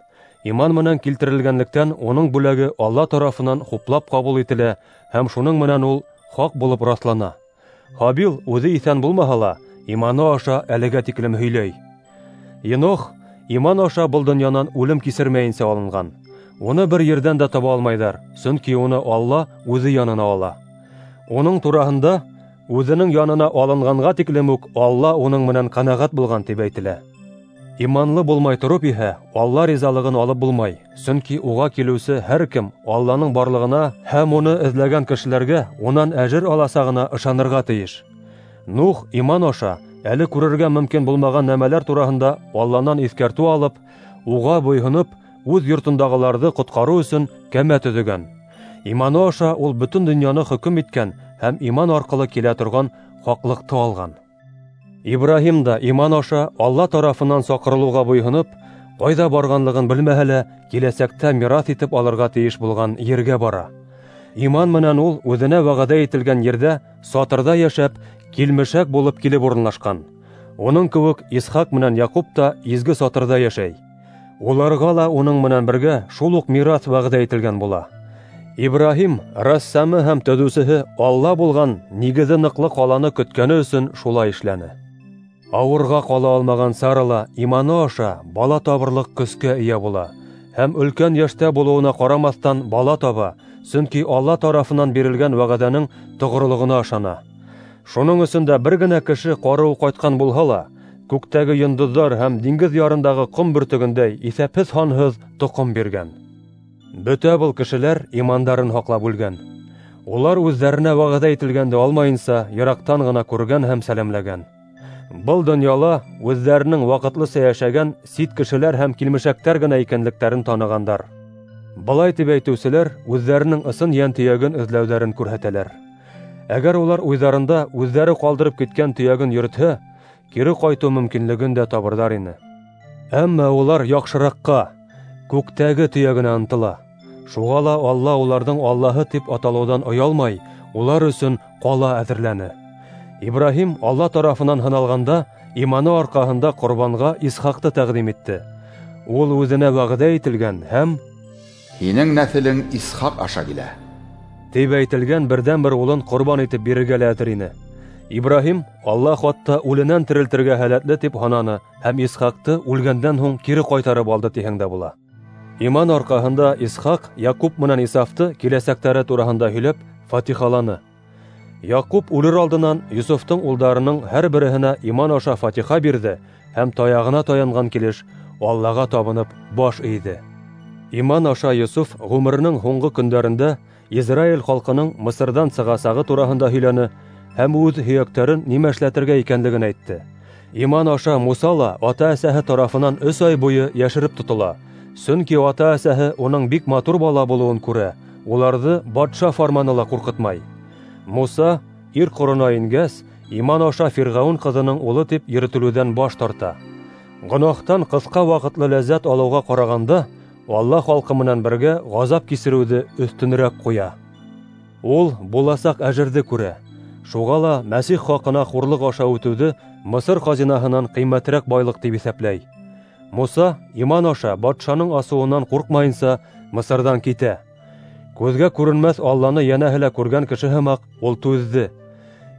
Иман менән килтерелгәнлектән уның бүләге Алла тарафынан хуплап ҡабул ителә һәм шуның менән ул хаҡ булып раҫлана. Һабил үҙе иҫән булмаһа ла, иманы аша әлегә тиклем һөйләй. Енох иман аша был донъянан үлем кисермәйенсә алынған. Уны бер ерҙән дә таба алмайҙар, сөнки уны Алла үҙе янына ала. Уның тураһында үҙенең янына алынғанға тиклем үк Алла уның менән ҡәнәғәт булған тип әйтелә. Иманлы булмай тороп иһә, Алла ризалығын алып булмай, сөнки уға килеүсе һәр кем Алланың барлығына һәм уны эҙләгән кешеләргә унан әжер аласағына ышанырға тейеш. Нух иман аша әле күрергә мөмкин булмаған нәмәләр тураһында Алланан иҫкәртеү алып, уға буйһоноп, үҙ йортондағыларҙы ҡотҡарыу өсөн кәмә төҙөгән. Иманы аша ул бөтөн донъяны хөкөм иткән һәм иман арҡылы килә торған хаҡлыҡты алған. Ибраһим да иман аша Алла тарафынан саҡырылыуға буйһоноп, ҡайҙа барғанлығын белмәһә лә, киләсәктә мираҫ итеп алырға тейеш булған ергә бара. Иман менән ул үҙенә вәғәҙә ителгән ерҙә сатырҙа йәшәп, килмешәк булып килеп урынлашҡан. Уның кеүек Исхаҡ менән Яҡуп та изге сатырҙа йәшәй. Уларға ла уның менән бергә шул уҡ мираҫ вәғәҙә ителгән була. Ибраһим рәссамы һәм төҙөүсеһе Алла булған нигеҙе ныҡлы ҡаланы көткәне өсөн шулай эшләне. Ауырға ҡала алмаған Сара ла иманы аша бала табырлыҡ көскә эйә була һәм өлкән йәштә булыуына ҡарамаҫтан бала таба, сөнки Алла тарафынан бирелгән вәғәҙәнең тоғролоғона ышана. Шуның өсөн дә бер генә кеше ҡарыу ҡайтҡан булһа ла, күктәге йондоҙҙар һәм диңгеҙ ярындағы ҡом бөртөгөндәй иҫәпһеҙ-һанһыҙ тоҡом биргән. Бөтә был кешеләр имандарын һаҡлап үлгән. Улар үҙҙәренә вәғәҙә ителгәнде алмайынса йыраҡтан ғына күргән һәм сәләмләгән. Был донъяла үҙҙәренең ваҡытлыса йәшәгән сит кешеләр һәм килмешәктәр генә икәнлектәрен танығандар. Былай тип әйтеүселәр үҙҙәренең ысын йән төйәген эҙләүҙәрен күрһәтәләр. Әгәр улар уйҙарында үҙҙәре ҡалдырып киткән төйәген йөрөтһә, кире ҡайтыу мөмкинлеген дә табырҙар ине. Әммә улар яҡшыраҡҡа, күктәге төйәгенә ынтыла. Шуға ла Алла уларҙың Аллаһы тип аталыуҙан оялмай, улар өсөн ҡала әҙерләне. Ибраһим Алла тарафынан һыналғанда, иманы арҡаһында ҡорбанға Исхаҡты тәҡдим итте. Ул үҙенә вәғәҙә ителгән һәм «Һинең нәҫелең Исхаҡ аша килә» тип әйтелгән берҙән-бер улын ҡорбан итеп бирергә лә әҙер ине. Ибраһим Алла хатта үленән терелтергә һәләтле тип һананы һәм Исхаҡты үлгәндән һуң кире ҡайтарып алды тиһәң дә була. Иман арҡаһында Исхаҡ Яҡуп менән Исафты киләсәктәре тураһында һөйләп фатихаланы. Яҡуп үлер алдынан Йософтоң улдарының һәр береһенә иман аша фатиха бирҙе һәм таяғына таянған килеш Аллаға табынып баш эйҙе. Иман аша Йософ ғүмеренең һуңғы көндәрендә Израиль халҡының Мысырҙан сығасағы тураһында һөйләне һәм үҙ һөйәктәрен нимә эшләтергә икәнлеген әйтте. Иман аша Муса ла ата-әсәһе тарафынан 3 ай буйы йәшереп тотола, сөнки ата-әсәһе уның бик матур бала булыуын күрә, уларҙы батша фарманы ла ҡурҡытмай. Муса ир ҡорона ингәс, иман аша Фирғәүен ҡыҙының улы тип йөрөтөлөүҙән баш тарта. Гонаһтан ҡыҫҡа ваҡытлы ләззәт алыуға ҡарағанда, Алла халҡы менән бергә ғазап кисереүҙе өҫтөнөрәк ҡуя. Ул буласаҡ әжерҙе күрә. Шуға ла Мәсих хаҡына хурлыҡ аша үтеүҙе Мысыр хазинаһынан ҡиммәтерәк байлыҡ тип иҫәпләй. Муса иман аша батшаның асыуынан ҡурҡмайынса Мысырҙан китә. Күҙгә күренмәҫ Алланы йәнәһе лә күргән кеше һымаҡ ул түҙҙе.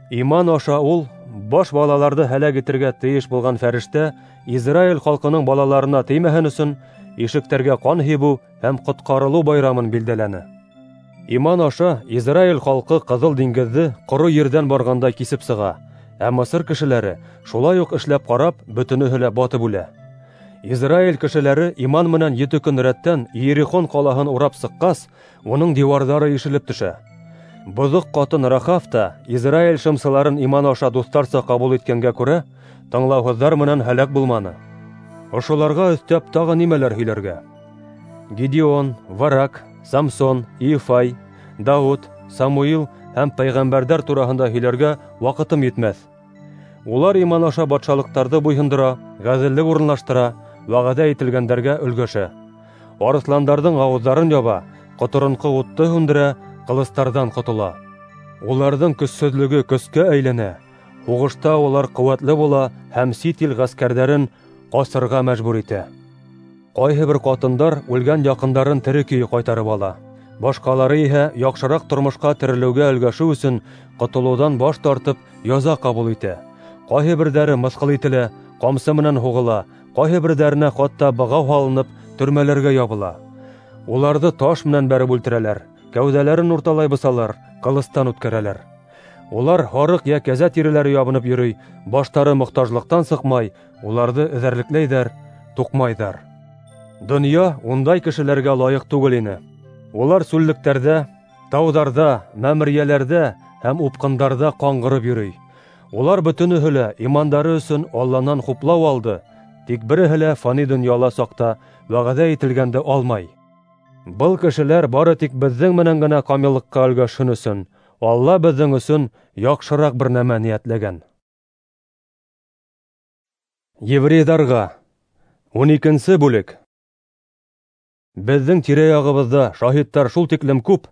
Иман аша ул баш балаларҙы һәләк итергә тейеш булған фәрештә Израиль халҡының балаларына теймәһен өсөн ишектәргә ҡан һибеү һәм ҡотҡарылыу байрамын билдәләне. Иман аша Израиль халҡы Ҡыҙыл диңгеҙҙе ҡоро ерҙән барғандай кисеп сыға, ә Мысыр кешеләре шулай уҡ эшләп ҡарап, бөтөнөһө лә батып үлә. Израиль кешеләре иман менән 7 көн рәттән Иерихон ҡалаһын урап сыҡҡас, уның диуарҙары ишелеп төшә. Боҙоҡ ҡатын Рахав та Израиль шымсыларын иман аша дуҫтарса ҡабул иткәнгә күрә, тыңлауһыҙҙар менән һәләк булманы. Ошоларға өҫтәп тағы нимәләр һөйләргә? Гидеон, Варак, Самсон, Иефай, Дауыт, Самуил һәм пәйғәмбәрҙәр тураһында һөйләргә ваҡытым етмәҫ. Улар иман аша батшалыҡтарҙы буйһондора, ғәҙеллек урынлаштыра, вәғәҙә ителгәндәргә өлгәшә. Арыҫландарҙың ауыҙҙарын яба, ҡоторонҡо утты һүндерә, ҡылыстарҙан ҡотола. Уларҙың көсһөҙлөгө көскә әйләнә. Һуғышта улар ҡеүәтле була һәм сит ил ғәскәрҙәрен ҡасырға мәжбүр итә. Ҡайһы бер ҡатындар үлгән яҡындарын тере көйө ҡайтарып ала. Башҡалары иһә яҡшыраҡ тормошҡа терелеүгә өлгәшеү өсөн ҡотолоуҙан баш тартып яза ҡабул итә. Ҡайһы берҙәре мыҫҡыл ителә, ҡамсы менән һуғыла, ҡайһы берҙәренә хатта бығау һалынып төрмәләргә ябыла. Уларҙы таш менән бәреп үлтерәләр, кәүҙәләрен урталай бысалар, ҡылыстан үткәрәләр. Улар һарыҡ йә кәзә тиреләре ябынып йөрөй, баштары мохтажлыҡтан сыҡмай, уларҙы эҙәрлекләйҙәр, туҡмайҙар. Донъя ундай кешеләргә лайыҡ түгел ине. Улар сүллектәрҙә, тауҙарҙа, мәмерйәләрҙә һәм упҡындарҙа ҡаңғырып йөрөй. Улар бөтөнөһө лә имандары өсөн Алланан хуплау алды, тик береһе лә фани донъяла саҡта вәғәҙә ителгәнде алмай. Был кешеләр бары тик беҙҙең менән генә камиллыҡҡа өлгәшһен өсөн Алла беҙҙең өсөн яҡшыраҡ бер нәмә ниәтләгән. Еврейҙарға 12-нсе бүлек. Беҙҙең тирә-яғыбыҙҙа шаһиттар шул тиклем күп,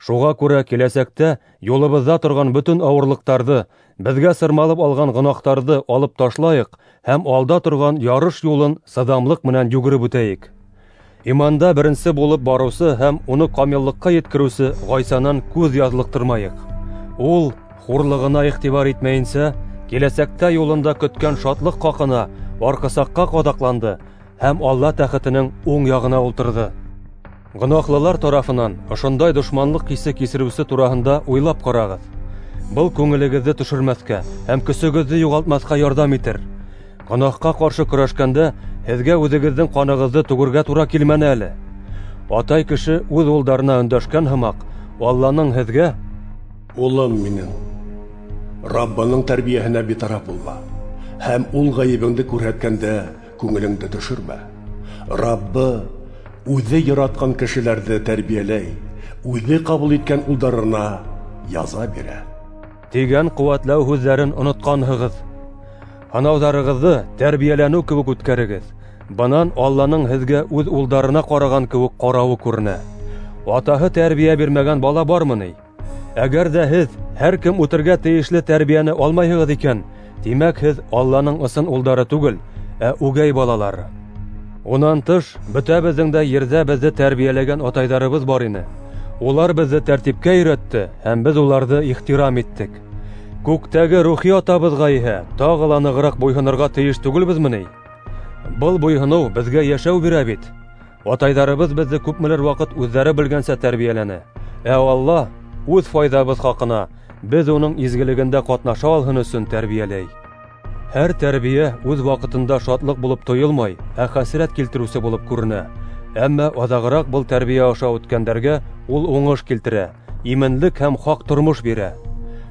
шуға күрә киләсәктә юлыбыҙҙа торған бөтөн ауырлыҡтарҙы, беҙгә сырмалып алған гонаһтарҙы алып ташлайыҡ һәм алда торған ярыш юлын сыҙамлыҡ менән йүгереп үтәйек. Иманда беренсе булып барыусы һәм уны камиллыҡҡа еткереүсе Ғайсанан күҙ яҙлыҡтырмайыҡ. Ул хурлығына иғтибар итмәйенсә, киләсәктә юлында көткән шатлыҡ хаҡына арҡысаҡҡа ҡаҙаҡланды һәм Алла тәхетенең уң яғына ултырҙы. Гонаһлылар тарафынан ошондай дошманлыҡ хисе кисереүсе тураһында уйлап ҡарағыҙ. Был күңелегеҙҙе төшөрмәҫкә һәм көсөгөҙҙө юғалтмаҫҡа ярҙам итер. Гонаһҡа ҡаршы көрәшкәндә һеҙгә үҙегеҙҙең ҡанығыҙҙы түгергә тура килмәне әле. Атай кеше үҙ улдарына өндәшкән һымаҡ, Алланың һеҙгә: "Улым минең, Раббының тәрбиәһенә битараф булма һәм ул ғәйебеңде күрһәткәндә күңелеңде төшөрмә. Раббы үҙе яратҡан кешеләрҙе тәрбиәләй, үҙе ҡабул иткән улдарына яза бирә" тигән ҡеүәтләү һүҙҙәрен онотҡанһығыҙ. Һынауҙарығыҙҙы тәрбиәләнеү кеүек үткәрегеҙ. Бынан Алланың һеҙгә үҙ улдарына ҡараған кеүек ҡарауы күренә. Атаһы тәрбиә бирмәгән бала бармы ни? Әгәр ҙә һеҙ һәр кем үтергә тейешле тәрбиәне алмайһығыҙ икән, тимәк һеҙ Алланың ысын улдары түгел, ә үгәй балалары. Унан тыш, бөтәбеҙҙең дә ерҙә беҙҙе тәрбиәләгән атайҙарыбыҙ бар ине. Улар беҙҙе тәртипкә өйрәтте һәм беҙ уларҙы ихтирам иттек. Күктәге рухи атабыҙға иһә тағы ла нығыраҡ буйһонорға тейеш түгелбеҙме ни? Был буйһоноу беҙгә йәшәү бирә бит. Атайҙарыбыҙ беҙҙе күпмелер ваҡыт үҙҙәре белгәнсә тәрбиәләне. Ә Алла үҙ файҙабыҙ хаҡына беҙ уның изгелегендә ҡатнаша алһын өсөн тәрбиәләй. Һәр тәрбиә үҙ ваҡытында шатлыҡ булып тойолмай, ә хәсрәт килтереүсе булып күренә. Әммә аҙағыраҡ был тәрбиә аша үткәндәргә ул уңыш килтерә, именлек һәм хаҡ тормош бирә.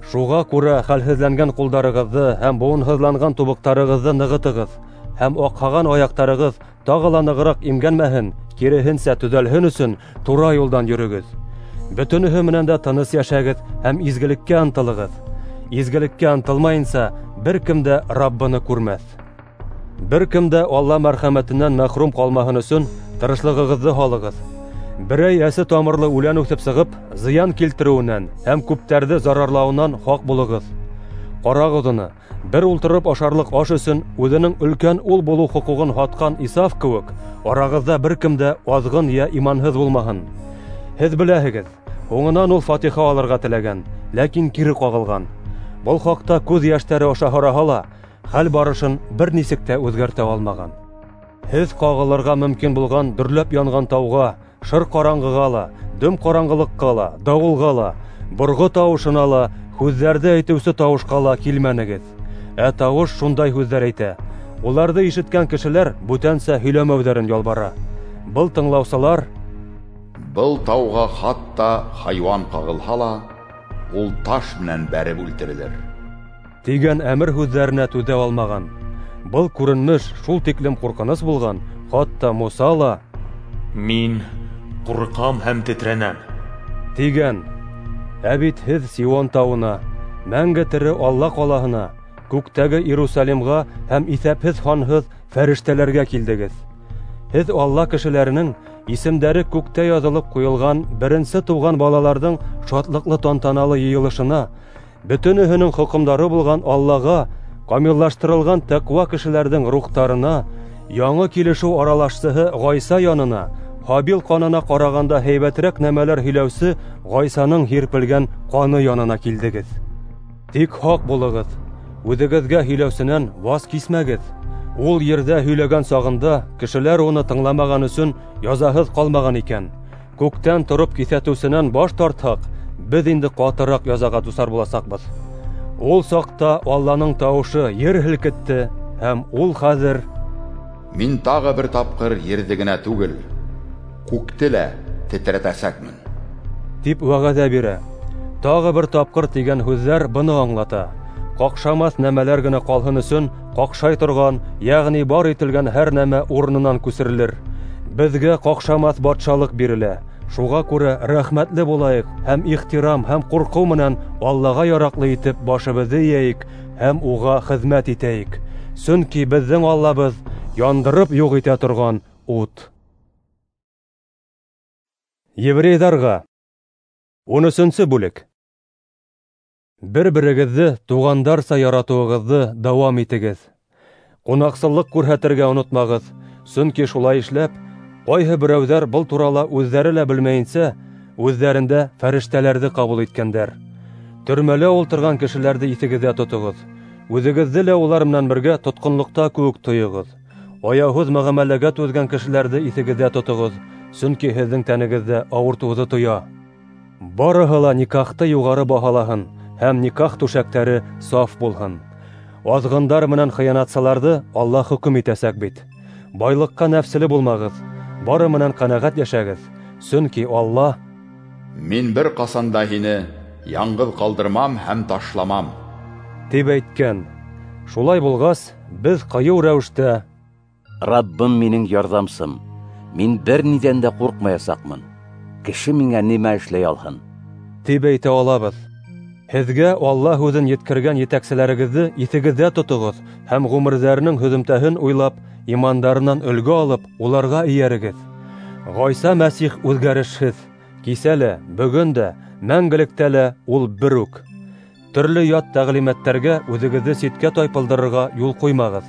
Шуға күрә хәлһеҙләнгән ҡулдарығыҙҙы һәм быуынһыҙланған тубыҡтарығыҙҙы нығытығыҙ, һәм аҡһаған аяҡтарығыҙ тағы ла нығыраҡ имгәнмәһен, киреһенсә төҙәлһен өсөн тура юлдан йөрөгөҙ. Бөтөнөһө менән дә тыныс йәшәгеҙ һәм изгелеккә ынтылығыҙ. Изгелеккә ынтылмайынса бер кем дә Раббыны күрмәҫ. Бер кем дә Алла мәрхәмәтенән мәхрүм ҡалмаһын өсөн тырышлығығыҙҙы һалығыҙ. Берәй әсе тамырлы үлән үҫеп сығып, зыян килтереүенән һәм күптәрҙе зарарлауынан һаҡ булығыҙ. Ҡарағыҙ уны, бер ултырып ашарлыҡ аш өсөн үҙенең өлкән ул булыу хоҡуғын һатҡан Исаф кеүек, арағыҙҙа бер кем дә аҙғын йә иманһыҙ булмаһын. Һеҙ беләһегеҙ, һуңынан ул фатиха алырға теләгән, ләкин кире ҡағылған. Был хаҡта күҙ йәштәре аша һораһа ла, хәл барышын бер нисек тә үҙгәртә алмаған. Һеҙ ҡағылырға мөмкин булған дөрләп янған тауға, шыр ҡараңғыға ла, дөм ҡараңғылыҡҡа ла, дауылға ла, борғо тауышына ла, һүҙҙәрҙе әйтеүсе тауышҡа ла килмәнегеҙ. Ә тауыш шундай һүҙҙәр әйтә. Уларҙы ишеткән кешеләр бүтәнсә һөйләмәүҙәрен ялбара. Был тыңлаусылар: "Был тауға хатта хайуан ҡағылһа ла, ул таш менән бәреп үлтерелер" тигән әмер һүҙҙәренә түҙә алмаған. Был күренеш шул тиклем ҡурҡыныс булған, хатта Муса ла: Мин ҡурҡам һәм тетрәнәм, тигән. Ә бит һеҙ Сион тауына, мәңге тере Алла ҡалаһына, күктәге Иерусалимға һәм иҫәпһеҙ һанһыҙ фәрештәләргә килдегеҙ. Һеҙ Алла кешеләренең исемдәре күктә яҙылып ҡуйылған беренсе тыуған балаларҙың шатлыҡлы тантаналы йыйылышына, бөтөнөһөнөң хөкөмдары булған Аллаға, камиллаштырылған тәҡүә кешеләрҙең рухтарына, яңы килешеү аралашсыһы Ғайса янына, Һабил ҡанына ҡарағанда һәйбәтерәк нәмәләр һөйләүсе Ғайсаның һирпелгән ҡаны янына килдегеҙ. Тик һаҡ булығыҙ, үҙегеҙгә һөйләүсенән ваз кисмәгеҙ. Ул ерҙә һөйләгән сағында кешеләр уны тыңламаған өсөн язаһыҙ ҡалмаған икән. Күктән тороп киҫәтеүсенән баш тартһаҡ, беҙ инде ҡатыраҡ язаға дусар буласаҡбыҙ. Ул саҡта Алланың тауышы ер һелкетте, һәм ул хәҙер: Мин тағы бер тапҡыр ерҙе генә түгел, күкте лә тетрәтәсәкмен, тип вәғәҙә бирә. Тағы бер тапҡыр тигән һүҙҙәр быны аңлата. Ҡаҡшамаҫ нәмәләр генә ҡалһын өсөн ҡаҡшай торған, йәғни бар ителгән һәр нәмә урынынан күсерелер. Беҙгә ҡаҡшамаҫ батшалыҡ бирелә. Шуға күрә рәхмәтле булайыҡ һәм ихтирам һәм ҡурҡыу менән Аллаға яраҡлы итеп башыбыҙҙы эйәйек һәм уға хеҙмәт итәйек. Сөнки беҙҙең Аллабыҙ яндырып юҡ итә торған ут. Еврейҙарға 13-нсе бүлек. Бер-берегеҙҙе туғандарса яратыуығыҙҙы дауам итегеҙ. Ҡунаҡсыллыҡ күрһәтергә онотмағыҙ, сөнки шулай эшләп, ҡайһы берәүҙәр был турала үҙҙәре лә белмәйенсә, үҙҙәрендә фәрештәләрҙе ҡабул иткәндәр. Төрмәлә ултырған кешеләрҙе иҫегеҙҙә тотоғоҙ. Үҙегеҙҙе лә улар менән бергә тотҡонлоҡта кеүек тойоғоҙ. Аяуһыҙ мөғәмәләгә түҙгән кешеләрҙе иҫегеҙҙә тотоғоҙ, сөнки һеҙҙең тәнегеҙҙә ауыртыуҙы тоя. Барыһы ла никахты юғары баһалаһын һәм никах түшәктәре саф булһын. Аҙғындар менән хыянатсыларҙы Алла хөкөм итәсәк бит. Байлыҡҡа нәфселе булмағыҙ, бары менән ҡәнәғәт йәшәгеҙ, сөнки Алла: Мин бер ҡасан да һине яңғыҙ ҡалдырмам һәм ташламам, тип әйткән. Шулай булғас, беҙ ҡыйыу рәүештә: Раббым минең ярҙамсым, мин бер ниҙән дә ҡурҡмаясаҡмын. Кеше миңә нимә эшләй алһын, тип әйтә алабыҙ. Һеҙгә Алла һүҙен еткергән етәкселәрегеҙҙе иҫегеҙҙә тотоғоҙ һәм ғүмерҙәренең һөҙөмтәһен уйлап, имандарынан өлгө алып, уларға эйәрегеҙ. Ғайса Мәсих үҙгәрешһеҙ, кисә лә, бөгөн дә, мәңгелектә лә ул бер үк. Төрлө ят тәғлимәттәргә үҙегеҙҙе ситкә тайпылдырырға юл ҡуймағыҙ.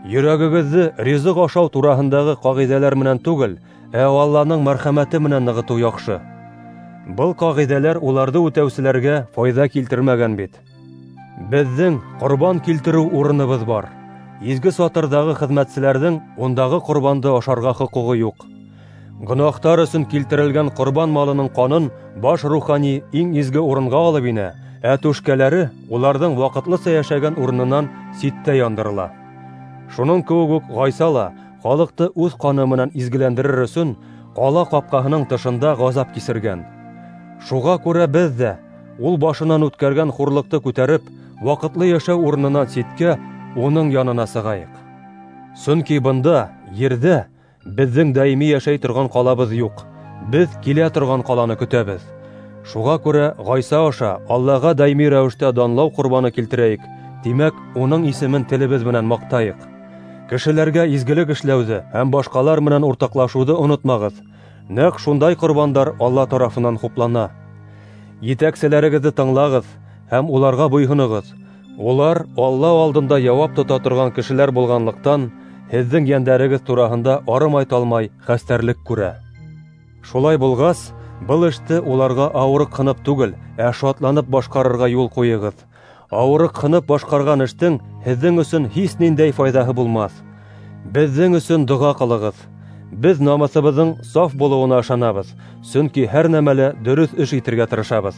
Йөрәгегеҙҙе ризыҡ ашау тураһындағы ҡағиҙәләр менән түгел, ә Алланың мәрхәмәте менән нығытыу яҡшы. Был ҡағиҙәләр уларҙы үтәүселәргә файҙа килтермәгән бит. Беҙҙең ҡорбан килтереү урыныбыҙ бар. Изге сатырҙағы хеҙмәтселәрҙең ундағы ҡорбанды ашарға хоҡуғы юҡ. Гонаһтар өсөн килтерелгән ҡорбан малының ҡанын баш рухани иң изге урынға алып инә, ә түшкәләре уларҙың ваҡытлыса йәшәгән урынынан ситтә яндырыла. Шуның кеүек үк Ғайса ла халыҡты үҙ ҡаны менән изгеләндерер өсөн ҡала ҡапҡаһының тышында ғазап кисергән. Шуға күрә беҙ ҙә ул башынан үткәргән хурлыҡты күтәреп, ваҡытлы йәшәү урынынан ситкә, уның янына сығайыҡ. Сөнки бында, ерҙә, беҙҙең даими йәшәй торған ҡалабыҙ юҡ. Беҙ килә торған ҡаланы көтәбеҙ. Шуға күрә Ғайса аша Аллаға даими рәүештә данлау ҡорбаны килтерәйек, тимәк, уның исемен телебеҙ менән маҡтайыҡ. Кешеләргә изгелек эшләүҙе һәм башҡалар менән уртаҡлашыуҙы онотмағыҙ. Нәҡ шундай ҡорбандар Алла тарафынан хуплана. Етәкселәрегеҙҙе тыңлағыҙ һәм уларға буйһоноғоҙ. Улар Алла алдында яуап тота торған кешеләр булғанлыҡтан, һеҙҙең йәндәрегеҙ тураһында арымай-талмай хәстәрлек күрә. Шулай булғас, был эште уларға ауырыҡһынып түгел, ә шатланып башҡарырға юл ҡуйығыҙ. Ауырыҡһынып башҡарған эштең һеҙҙең өсөн һис ниндәй файҙаһы булмаҫ. Беҙҙең өсөн доға ҡылығыҙ. Беҙ намыҫыбыҙҙың саф булыуына ышанабыҙ, сөнки һәр нәмәлә дөрөҫ эш итергә тырышабыҙ.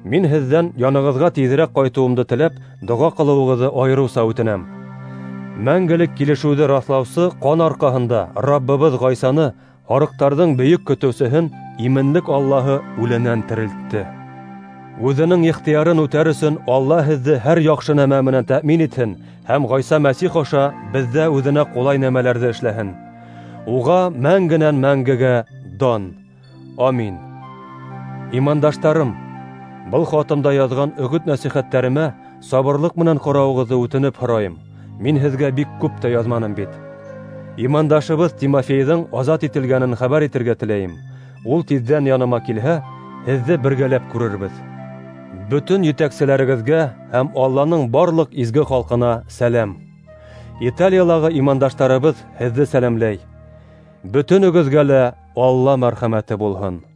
Мин һеҙҙән янығыҙға тиҙерәк ҡайтыуымды теләп, доға ҡылыуығыҙҙы айырыуса үтенәм. Мәңгелек килешеүҙе раҫлаусы ҡан арҡаһында Раббыбыҙ Ғайсаны, һарыҡтарҙың бөйөк көтөүсеһен, именлек Аллаһы үленән терелтте. Үҙенең ихтыярын үтәр өсөн Алла һеҙҙе һәр яҡшы нәмә менән тәьмин итһен һәм Ғайса Мәсих аша беҙҙә үҙенә ҡулай нәмәләрҙе эшләһен. Уға мәңгенән мәңгегә дан. Амин. Имандаштарым, был хатымда яҙған өгөт-нәсихәттәремә сабырлыҡ менән ҡарауығыҙҙы үтенеп һорайым. Мин һеҙгә бик күп тә яҙманым бит. Имандашыбыҙ Тимофейҙың азат ителгәнен хәбәр итергә теләйем. Ул тиҙҙән яныма килһә, һеҙҙе бергәләп күрербеҙ. Бөтөн етәкселәрегеҙгә һәм Алланың барлыҡ изге халҡына сәләм. Италиялағы имандаштарыбыҙ һеҙҙе сәләмләй. Бөтөнөгөҙгә лә Алла мәрхәмәте булһын.